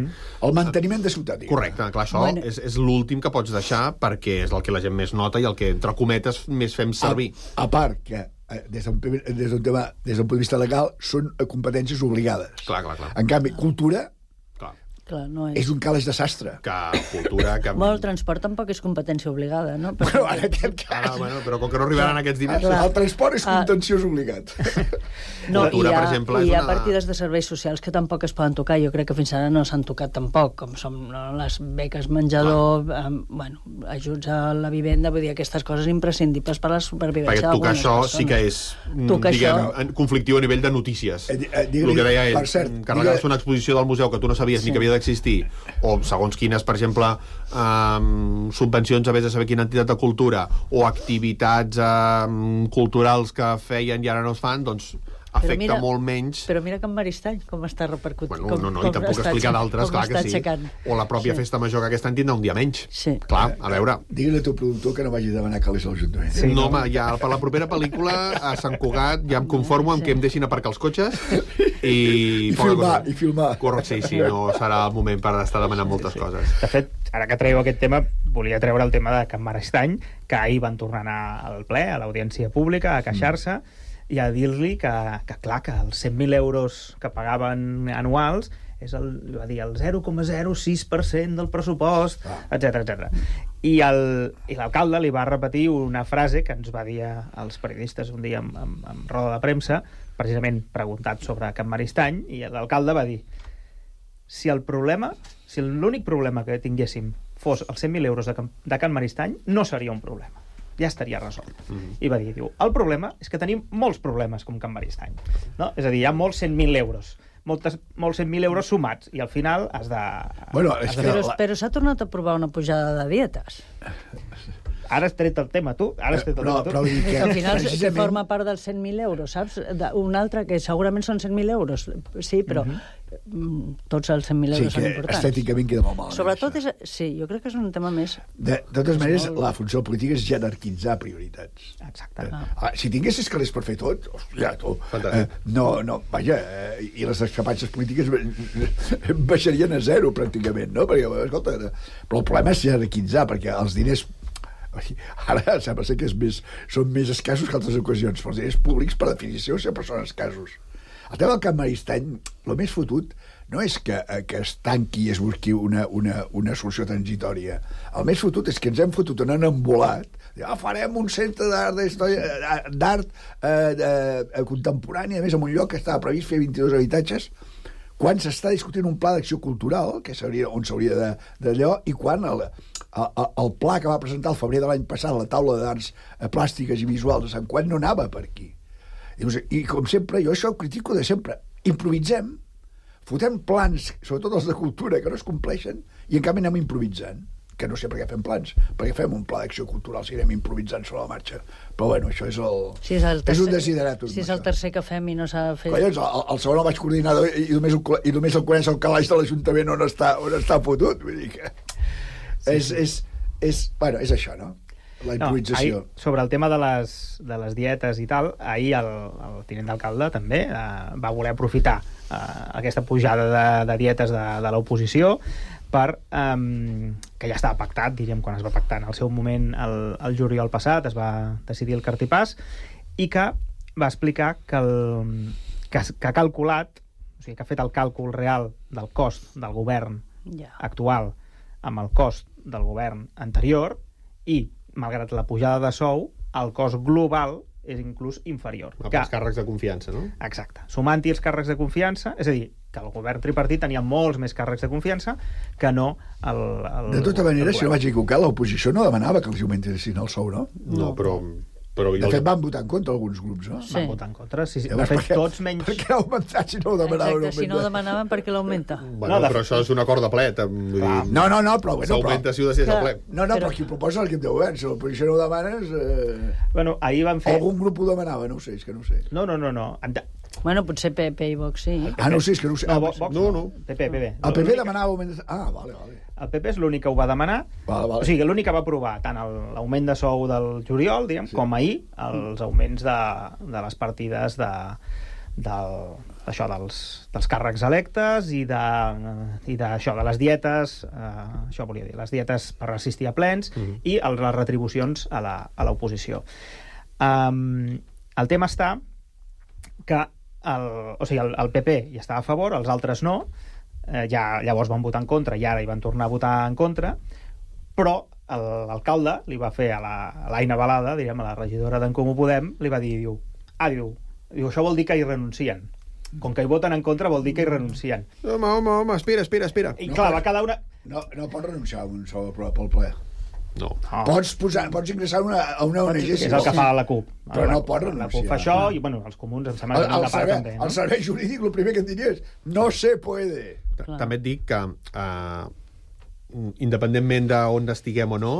El manteniment de ciutat. Correcte, clar, això és l'últim que pots deixar perquè és el que la gent més nota i el que, entre cometes, més fem servir. A part que des d'un punt de vista legal són competències obligades. Clar. En canvi, cultura Clar, no és un calaix de sastre. Que cultura... Que... Bueno, el transport tampoc és competència obligada, no? Però en aquest cas... Però com que no arribaran aquests diners... El transport és contenciós obligat. No, cultura, per exemple, hi ha partides de serveis socials que tampoc es poden tocar. Jo crec que fins ara no s'han tocat tampoc, com són les beques menjador, bueno, ajuts a la vivenda, vull dir, aquestes coses imprescindibles per a la supervivència d'algunes persones. Perquè tocar això sí que és, diguem, conflictiu a nivell de notícies. El que deia ell, carregar-se una exposició del museu que tu no sabies ni que havia d'existir, o segons quines, per exemple, subvencions a vés de saber quina entitat de cultura, o activitats culturals que feien i ara no es fan, doncs afecta molt menys... Però mira Can Maristany, com està repercutint. Bueno, no, i tampoc explicar d'altres, clar que sí. O la pròpia festa major que aquest any tindrà un dia menys. Sí. Clar, a veure... Digue-li al teu productor que no vagi a demanar calés a l'Ajuntament. Sí, no, home, ja per la propera pel·lícula a Sant Cugat ja em conformo amb que em deixin aparcar els cotxes i filmar. Correcte, sí, no serà el moment per estar demanant moltes coses. De fet, ara que traieu aquest tema, volia treure el tema de Can Maristany, que ahir van tornar a anar al ple, a l'audiència pública, a queixar-se, i a dir-li que clar, que els 100.000 euros que pagaven anuals és el 0,06% del pressupost, etc. I l'alcalde li va repetir una frase que ens va dir als periodistes un dia en roda de premsa, precisament preguntat sobre Can Maristany, i l'alcalde va dir: si l'únic problema que tinguéssim fos els 100.000 euros de Can Maristany, no seria un problema, ja estaria resolt. I va dir, el problema és que tenim molts problemes com Can Maristany, no? És a dir, hi ha molts 100.000 euros, molts 100.000 euros sumats, i al final has de... Però s'ha tornat a aprovar una pujada de dietes. Ara has tret el tema, tu. Al final forma part dels 100.000 euros, saps? Un altre que segurament són 100.000 euros. Sí, però tots els 100.000 euros són importants. Estèticament queda molt malament. Sobretot, sí, jo crec que és un tema més... De totes maneres, la funció política és jerarquitzar prioritats. Exacte. Si tinguessis calés per fer tot, hòstia, vaja, i les discrepàncies polítiques baixarien a zero, pràcticament, no? Perquè, escolta, però el problema és jerarquitzar, perquè els diners... Ara sembla ser que són més escassos que altres ocasions, però els diners públics, per definició, sempre són escassos. El tema del Can Maristany, el més fotut no és que es tanqui i es busqui una solució transitòria. El més fotut és que ens hem fotut en un embolat, farem un centre d'art contemporani, a més, en un lloc que estava previst fer 22 habitatges, quan s'està discutint un pla d'acció cultural, que on s'hauria d'allò, i quan el pla que va presentar el febrer de l'any passat la taula d'arts plàstiques i visuals de Sant Cugat no anava per aquí. I com sempre, jo això ho critico de sempre. Improvisem, fotem plans, sobretot els de cultura, que no es compleixen, i en canvi anem improvisant. Que no sé per què fem plans, perquè fem un pla d'acció cultural si anem improvisant sobre la marxa. Però bueno, això és és un desideratum. Si és el tercer que fem i no s'ha de fer... Collons, el segon el vaig coordinar i només el coneix el calaix de l'Ajuntament on està fotut. Vull dir que... És això, no? La improvisació. Sobre el tema de les dietes i tal, ahir el tinent d'alcalde també va voler aprofitar aquesta pujada de dietes de l'oposició per que ja estava pactat, diríem, quan es va pactar en el seu moment el juliol passat, es va decidir el cartipàs, i que va explicar que ha calculat, o sigui, que ha fet el càlcul real del cost del govern actual amb el cost del govern anterior, i malgrat la pujada de sou, el cost global és inclús inferior. Els càrrecs de confiança, no? Exacte. Sumant-hi els càrrecs de confiança, és a dir, que el govern tripartit tenia molts més càrrecs de confiança que no el de tota manera, si no vaig equivocar, l'oposició no demanava que els augmentessin el sou, no? No, però de fet, van votar en contra alguns grups, no? Sí. Van votar en contra, sí. De fet, tots menys... Per què ha augmentat si no ho demanaven? Exacte, si no ho demanaven, per què l'augmenta? Bueno, però això és un acord de ple. No, però... S'augmenta si ho decideix el ple. No, però qui ho proposa l'equip de govern. Si l'oposició no ho demanes... Bueno, ahir van fer... Algun grup ho demanava, no ho sé, és que no ho sé. No. Bueno, potser PP i Vox sí. No sé, és que no ho sé. No. PP. El PP demanava augmentar... Vale. El PP és l'únic que ho va demanar. Vale. O sigui, l'únic que va aprovar tant l'augment de sou del juliol, diguem, com ahir els augments de les partides dels càrrecs electes i d'això, de les dietes, això volia dir, les dietes per assistir a plens i les retribucions a l'oposició. El tema està que el PP hi estava a favor, els altres no, llavors van votar en contra i ara hi van tornar a votar en contra, però l'alcalde li va fer a l'Aina Balada, diríem, a la regidora d'en Comú Podem, li va dir, diu, això vol dir que hi renuncien. Com que hi voten en contra vol dir que hi renuncien. Home, espera. I clar, va quedar una... No pots renunciar a un sol pel ple. No. Pots ingressar a una ONG. Que és el que fa la CUP. Però no pots renunciar. La CUP fa això i, bueno, els comuns em sembla que no part també. El servei jurídic, el primer que et diria és no se puede. També et dic que, independentment d'on estiguem o no,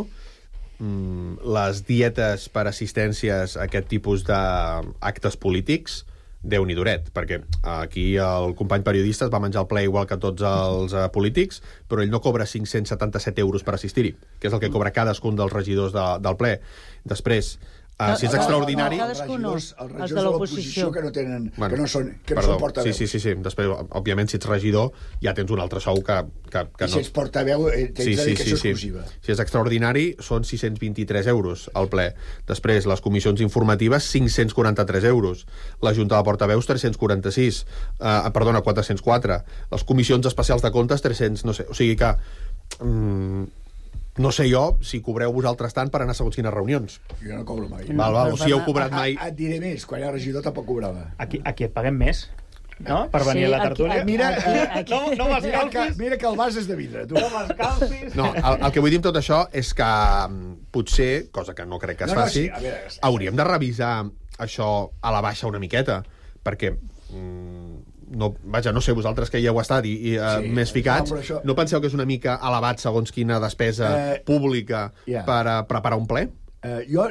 les dietes per assistències a aquest tipus d'actes polítics Déu-n'hi duret, perquè aquí el company periodista es va menjar el ple igual que tots els polítics, però ell no cobra 577 euros per assistir-hi, que és el que cobra cadascun dels regidors del ple. Després, si és extraordinari... Els regidors de l'oposició que no tenen... que no són portaveu. Sí. Després, òbviament, si ets regidor, ja tens un altre sou que I si ets portaveu, tens dedicació exclusiva. Si és extraordinari, són 623 euros al ple. Després, les comissions informatives, 543 euros. La Junta de Portaveus, 346. 404. Les comissions especials de comptes, 300, no sé. O sigui que... no sé jo si cobreu vosaltres tant per anar a segons quines reunions. Jo no cobro mai. Val, si heu cobrat mai... Et diré més, quan era regidor tampoc cobrava. Aquí et paguem més, no? Per venir a la tertúlia. Mira, no m'escalfis. Mira que el vas és de vidre, tu. No m'escalfis. No, el que vull dir amb tot això és que potser, cosa que no crec que es faci, hauríem de revisar això a la baixa una miqueta, perquè... no sé, vosaltres que hi heu estat i més ficats, no penseu que és una mica elevat segons quina despesa pública per preparar un ple? Jo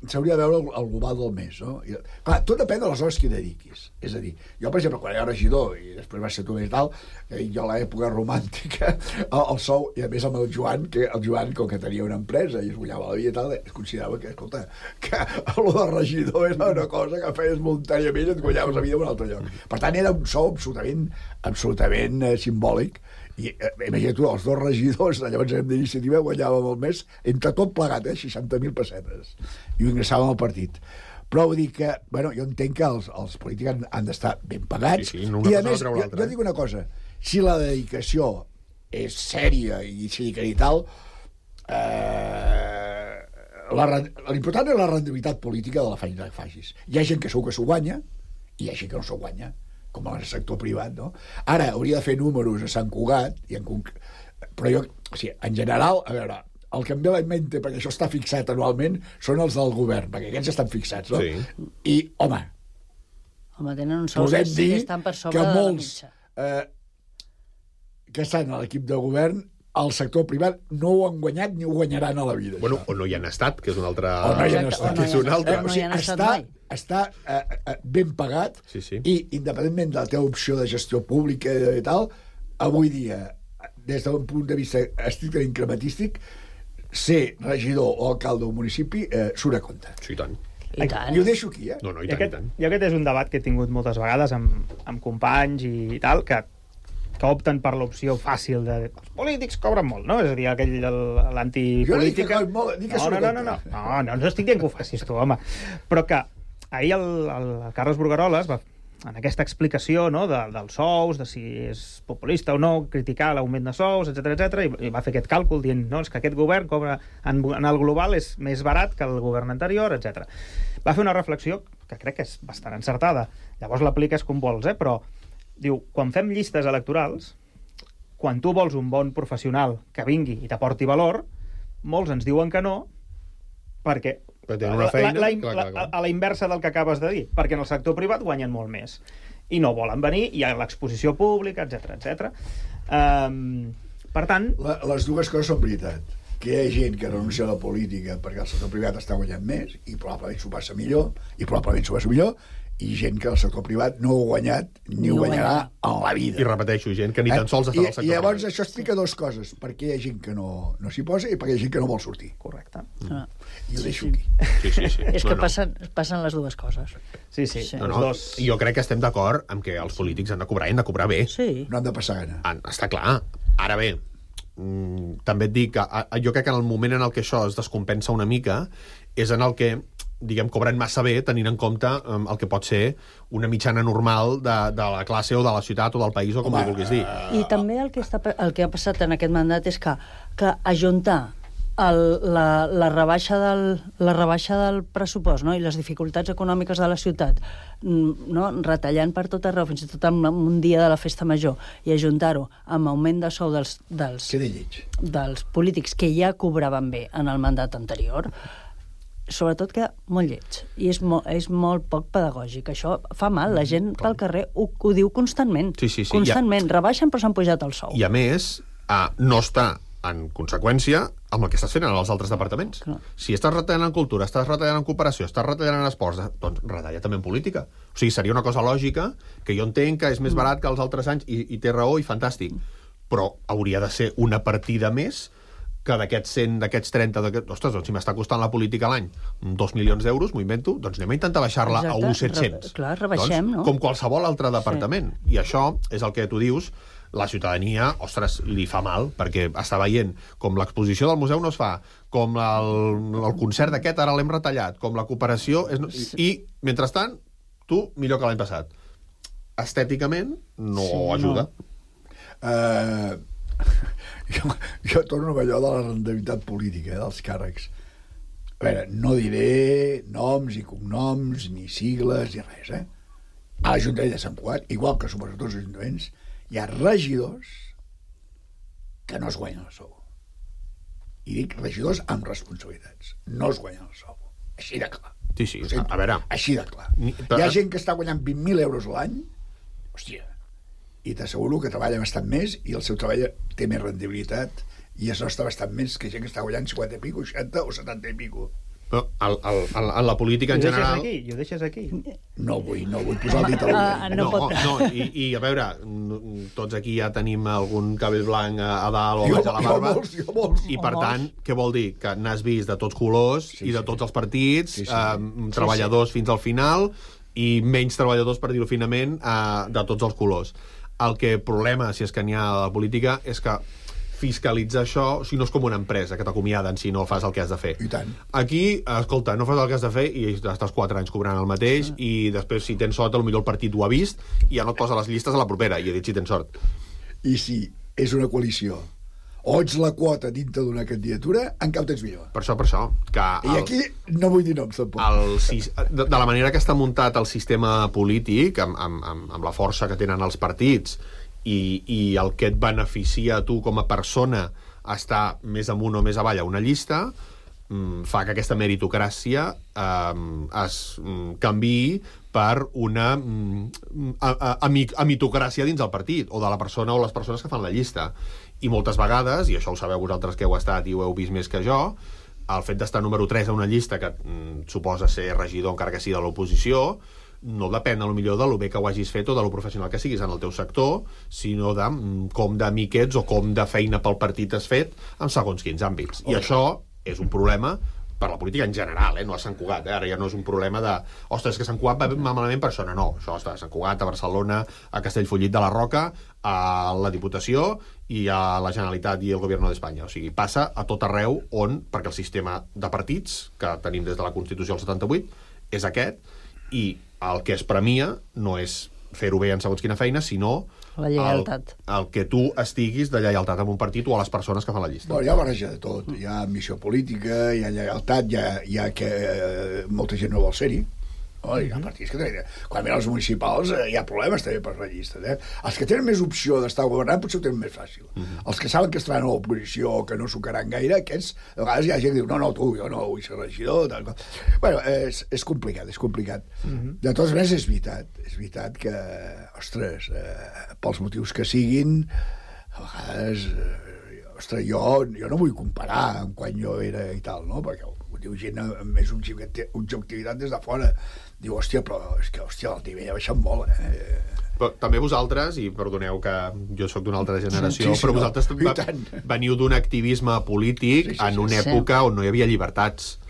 s'hauria de veure el global del mes, no? Clar, tot depèn de les hores que hi dediquis. És a dir, jo, per exemple, quan era regidor i després va ser tu més tal, jo a l'època romàntica, el sou, i a més amb el Joan, com que tenia una empresa i es guanyava la vida i tal, es considerava que, escolta, que el de regidor era una cosa que feies voluntàriament i et guanyaves la vida en un altre lloc. Per tant, era un sou absolutament simbòlic. I imagina't tu, els dos regidors de llavors d'iniciativa guanyàvem al mes entre tot plegat, 60.000 pessetes, i ho ingressàvem al partit. Però vull dir que, bueno, jo entenc que els polítics han d'estar ben pagats, i a més, jo dic una cosa, si la dedicació és sèria i i tal, l'important és la rendibilitat política de la feina que facis. Hi ha gent que segur que s'ho guanya i hi ha gent que no s'ho guanya, com al sector privat, no? Ara, hauria de fer números a Sant Cugat, però jo, o sigui, en general, a veure, el que em ve a la mente, perquè això està fixat anualment, són els del govern, perquè aquests estan fixats, no? Sí. I, home, tenen un sou que estan per sobre de la mitja. Que estan a l'equip de govern, el sector privat no ho han guanyat ni ho guanyaran a la vida. Bueno, o no hi han estat, que és un altre... O no hi han estat. No hi han estat mai. Està ben pagat i, independentment de la teva opció de gestió pública i tal, avui dia, des d'un punt de vista estrictament crematístic, ser regidor o alcalde d'un municipi surt a compte. Sí, i tant. I ho deixo aquí, No, i tant. I aquest és un debat que he tingut moltes vegades amb companys i tal, que opten per l'opció fàcil de... Els polítics cobren molt, no? És a dir, l'antipolítica... No estic dient que ho facis tu, home. Però que ahir el Carles Brugueroles va, en aquesta explicació, no, dels sous, de si és populista o no, criticar l'augment de sous, etc i va fer aquest càlcul dient, no, és que aquest govern cobra en el global és més barat que el govern anterior, etc. Va fer una reflexió que crec que és bastant encertada. Llavors l'apliques com vols, però diu, quan fem llistes electorals, quan tu vols un bon professional que vingui i t'aporti valor, molts ens diuen que no, perquè a la inversa del que acabes de dir, perquè en el sector privat guanyen molt més i no volen venir, hi ha l'exposició pública, etc. Per tant... Les dues coses són veritat, que hi ha gent que renuncia a la política perquè el sector privat està guanyant més i probablement s'ho passa millor, i gent que el sector privat no ho ha guanyat ni ho guanyarà en la vida. I repeteixo, gent que ni tan sols està al sector privat. I llavors això explica dues coses, perquè hi ha gent que no s'hi posa i perquè hi ha gent que no vol sortir. Correcte. I ho deixo aquí. Sí. És que passen les dues coses. Sí. Jo crec que estem d'acord amb que els polítics han de cobrar i han de cobrar bé. Sí. No han de passar gana. Està clar. Ara bé, també et dic que jo crec que en el moment en el que això es descompensa una mica és en el que diguem, cobren massa bé tenint en compte el que pot ser una mitjana normal de la classe o de la ciutat o del país o com li vulguis dir. I també el que ha passat en aquest mandat és que ajuntar la rebaixa del pressupost, no? I les dificultats econòmiques de la ciutat, no? Retallant per tot arreu, fins i tot en un dia de la festa major, i ajuntar-ho amb augment de sou dels polítics que ja cobraven bé en el mandat anterior, sobretot queda molt lleig. I és molt poc pedagògic. Això fa mal. La gent pel carrer ho diu constantment. Sí. Constantment. Rebaixen però s'han pujat el sou. I a més, no està en conseqüència amb el que estàs fent en els altres departaments. Clar. Si estàs retallant en cultura, estàs retallant en cooperació, estàs retallant en esports, doncs retalla també en política. O sigui, seria una cosa lògica, que jo entenc que és més barat que els altres anys, i té raó, i fantàstic, però hauria de ser una partida més que d'aquests 100, d'aquests 30... Ostres, doncs si m'està costant la política a l'any 2 milions d'euros, m'ho invento, doncs anem a intentar baixar-la a 1.700. Clar, rebaixem, no? Com qualsevol altre departament. Sí. I això és el que tu dius, la ciutadania, ostres, li fa mal, perquè està veient com l'exposició del museu no es fa, com el concert d'aquest ara l'hem retallat, com la cooperació... I, mentrestant, tu, millor que l'any passat. Estèticament, no ajuda. Jo torno a allò de la rendibilitat política, dels càrrecs. A veure, no diré noms i cognoms, ni sigles, ni res, A l'Ajuntament de Sant Cugat, igual que suposo tots els ajuntaments, hi ha regidors que no es guanyen el sou. I dic regidors amb responsabilitats. No es guanyen el sou. Així de clar. Sí, a veure... Així de clar. Hi ha gent que està guanyant 20.000 euros a l'any, hòstia, i t'asseguro que treballa bastant més i el seu treball té més rendibilitat i es nostra bastant més que gent que està guanyant 50 i pico, 60 o 70 i pico. Però en la política en general... I ho deixes aquí? No vull posar el dit a l'ull. No, i a veure, tots aquí ja tenim algun cabell blanc a dalt o a baix de la barba. Jo molts. I per tant, què vol dir? Que n'has vist de tots colors i de tots els partits, treballadors fins al final i menys treballadors, per dir-ho finament, de tots els colors. El problema, si és que n'hi ha a la política, és que fiscalitzar això, o sigui, no és com una empresa que t'acomiaden si no fas el que has de fer. I tant. Aquí, escolta, no fas el que has de fer i estàs 4 anys cobrant el mateix i després, si tens sort, potser el partit ho ha vist i ja no et posa les llistes a la propera, i he dit si tens sort. I si és una coalició o ets la quota dintre d'una candidatura, encara ho tens millor. Per això. I aquí no vull dir noms, tampoc. De la manera que està muntat el sistema polític, amb la força que tenen els partits, i el que et beneficia a tu com a persona estar més amunt o més avall a una llista, fa que aquesta meritocràcia es canviï per una amitocràcia dins el partit, o de la persona o les persones que fan la llista. I moltes vegades, i això ho sabeu vosaltres que heu estat i ho heu vist més que jo, el fet d'estar número 3 a una llista que suposa ser regidor encara que sigui de l'oposició, no depèn potser de lo bé que ho hagis fet o de lo professional que siguis en el teu sector, sinó de com d'amic ets o com de feina pel partit has fet en segons quins àmbits. I això és un problema per la política en general, no a Sant Cugat. Ara ja no és un problema de ostres, que Sant Cugat va malament per això. No, això està a Sant Cugat, a Barcelona, a Castellfollit de la Roca, a la Diputació i a la Generalitat i el Govern d'Espanya. O sigui, passa a tot arreu on, perquè el sistema de partits que tenim des de la Constitució del 78 és aquest, i el que es premia no és fer-ho bé en segons quina feina, sinó la lleialtat. El que tu estiguis de lleialtat amb un partit o a les persones que fan la llista. Bueno, hi ha barreja de tot. Hi ha ambició política, hi ha lleialtat, hi ha que molta gent no vol ser-hi. Hi ha partits que tenen... Quan venen els municipals hi ha problemes també per la llista. Els que tenen més opció d'estar governant potser ho tenen més fàcil. Els que saben que estaran a l'oposició o que no sucaran gaire, aquests, a vegades hi ha gent que diu no, tu, jo no vull ser regidor. Bueno, és complicat, és complicat. De totes maneres, és veritat que, ostres, pels motius que siguin, a vegades, ostres, jo no vull comparar amb quan jo era i tal, no? Perquè ho diu gent amb més objectivitat des de fora. Diu, hòstia, però és que, el nivell ha baixat molt, Però també vosaltres, i perdoneu que jo sóc d'una altra generació, però vosaltres veniu d'un activisme polític en una època on no hi havia llibertats.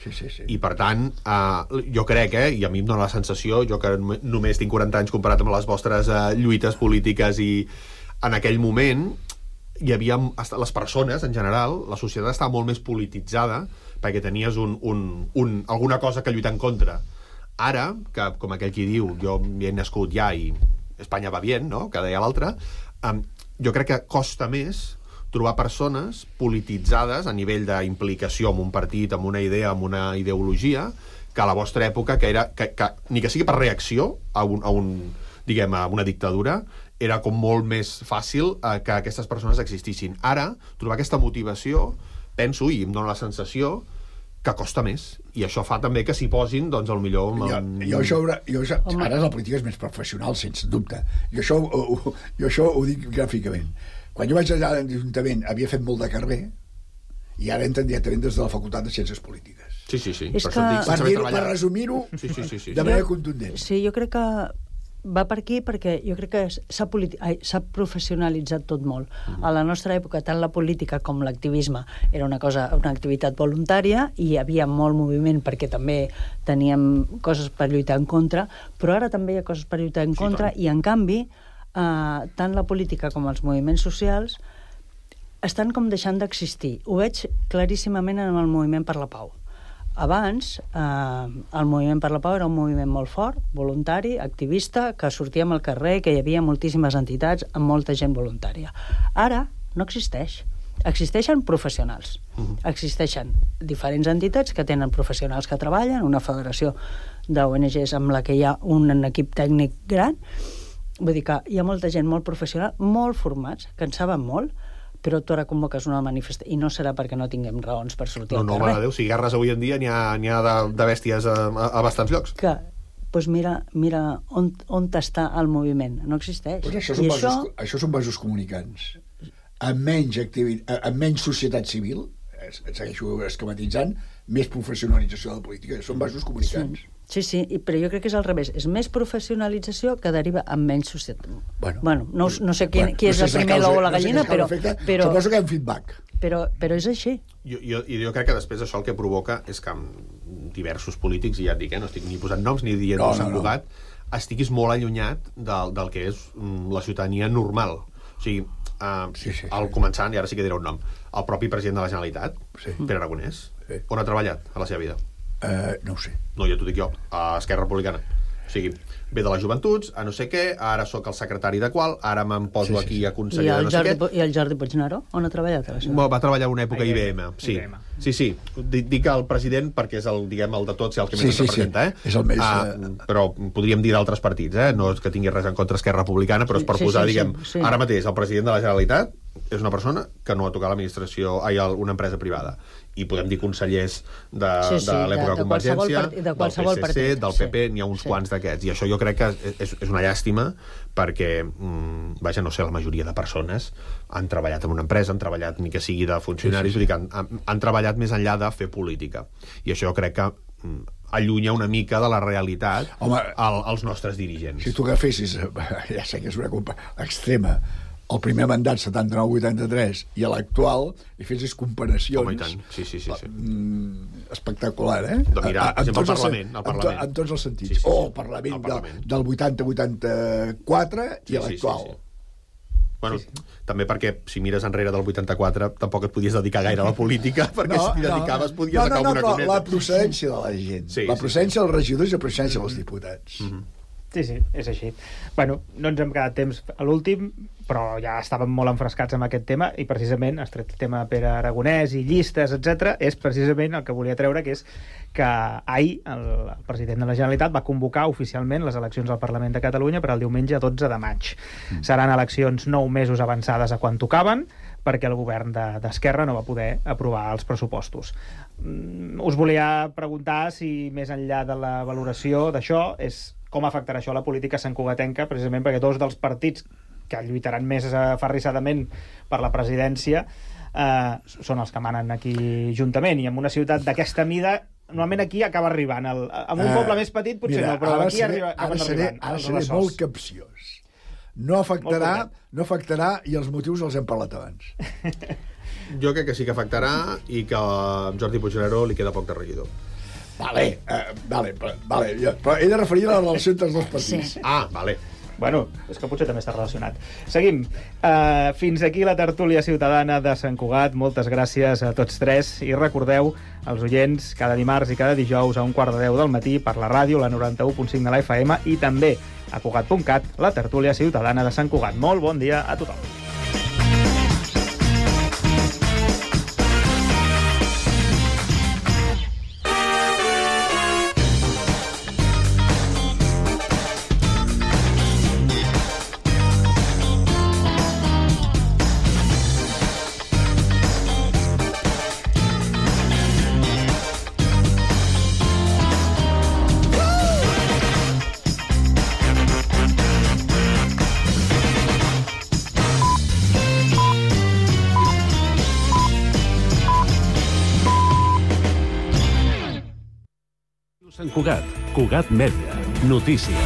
I per tant, jo crec, i a mi em dóna la sensació, jo que només tinc 40 anys comparat amb les vostres lluites polítiques, i en aquell moment hi havia les persones, en general, la societat estava molt més polititzada perquè tenies alguna cosa que lluitar en contra. Ara, que com aquell qui diu, jo he nascut ja i Espanya va bien, no?, que deia l'altre, jo crec que costa més trobar persones polititzades a nivell d'implicació en un partit, amb una idea, amb una ideologia, que a la vostra època, que era que ni que sigui per reacció a una dictadura, era com molt més fàcil que aquestes persones existissin. Ara, trobar aquesta motivació, penso, i em dóna la sensació, que costa més. I això fa també que s'hi posin, doncs, al millor... Ara la política és més professional, sense dubte. Jo això ho dic gràficament. Quan jo vaig allà a l'Ajuntament havia fet molt de carrer i ara entren directament des de la Facultat de Ciències Polítiques. Sí. Per resumir-ho de manera contundent. Sí, jo crec que va per aquí perquè jo crec que s'ha professionalitzat tot molt. A la nostra època, tant la política com l'activisme era una activitat voluntària i hi havia molt moviment perquè també teníem coses per lluitar en contra, però ara també hi ha coses per lluitar en contra i, en canvi, tant la política com els moviments socials estan com deixant d'existir. Ho veig claríssimament en el moviment per la pau. Abans, el moviment per la pau era un moviment molt fort, voluntari, activista, que sortíem al carrer, que hi havia moltíssimes entitats amb molta gent voluntària. Ara no existeix. Existeixen professionals. Existeixen diferents entitats que tenen professionals que treballen, una federació d'ONGs amb la que hi ha un equip tècnic gran. Vull dir que hi ha molta gent molt professional, molt formats, que en saben molt, però tu ara convoques una manifestació i no serà perquè no tinguem raons per sortir al carrer. No, mare de Déu, si guerres avui en dia n'hi ha de bèsties a bastants llocs. Doncs mira on està el moviment. No existeix. Això són vasos comunicants. Amb menys societat civil, segueixo esquematitzant, més professionalització de la política. Són vasos comunicants. Sí, però jo crec que és al revés. És més professionalizació que deriva en menys societat. Bueno, no sé qui és el primer l'ou o la gallina, però... Suposo que hi ha un feedback. Però és així. Jo crec que després això el que provoca és que diversos polítics, i ja et dic, no estic ni posant noms ni dient Sant Cugat, estiguis molt allunyat del que és la ciutadania normal. O sigui, al començant, i ara sí que diré un nom, el propi president de la Generalitat, Pere Aragonès, on ha treballat a la seva vida? No ho sé. No, ja t'ho dic jo, a Esquerra Republicana. O sigui, ve de les joventuts, a no sé què, ara sóc el secretari de qual, ara me'n poso aquí a conseller de no sé què. I el Jordi Puigneró, on ha treballat? Va treballar una època a IBM, sí. Sí. Dic el president perquè és el de tots i el que més ens representa, És el més... Però podríem dir d'altres partits, no és que tingui res en contra Esquerra Republicana, però és per posar, ara mateix, el president de la Generalitat és una persona que no ha tocat una empresa privada. I podem dir consellers de l'època de Convergència, del PSC, del PP, n'hi ha uns quants d'aquests. I això jo crec que és una llàstima perquè, no sé, la majoria de persones han treballat en una empresa, han treballat ni que sigui de funcionaris, vull dir que han treballat més enllà de fer política. I això jo crec que allunya una mica de la realitat als nostres dirigents. Si tu agafessis, ja sé que és una culpa extrema, el primer mandat 79-83 i l'actual, i fessis comparacions... Home, i tant, sí. Espectacular, De mirar, per exemple, el Parlament. En tots els sentits. El Parlament del 80-84 i l'actual. Bueno, també perquè si mires enrere del 84 tampoc et podies dedicar gaire a la política, perquè si t'hi dedicaves podies acabar una coneta. La procedència de la gent, la procedència dels regidors i la procedència dels diputats. Sí, és així. Bueno, no ens hem quedat temps a l'últim, però ja estàvem molt enfrescats amb aquest tema i precisament has tret el tema de Pere Aragonès i llistes, etc. És precisament el que volia treure, que és que ahir el president de la Generalitat va convocar oficialment les eleccions al Parlament de Catalunya per al diumenge 12 de maig. Seran eleccions 9 mesos avançades a quan tocaven, perquè el govern d'Esquerra no va poder aprovar els pressupostos. Us volia preguntar si, més enllà de la valoració d'això, és com afectarà això la política santcugatenca, precisament perquè dos dels partits que lluitaran més aferrissadament per la presidència són els que manen aquí juntament, i en una ciutat d'aquesta mida normalment aquí acaba arribant. En un poble més petit potser no, però aquí acaben arribant. Ara seré molt capciós. No afectarà i els motius els hem parlat abans. Jo crec que sí que afectarà i que a Jordi Puigneró li queda poc de regidor. Vale, però he de referir a la relació entre els dos partits. Vale. Bueno, és que potser també està relacionat. Seguim. Fins aquí la tertúlia ciutadana de Sant Cugat. Moltes gràcies a tots tres. I recordeu, als oients, cada dimarts i cada dijous a 9:15 del matí per la ràdio, la 91.5 de la FM, i també a Cugat.cat, la tertúlia ciutadana de Sant Cugat. Molt bon dia a tothom. Sant Cugat, Cugat Mèdia, notícies.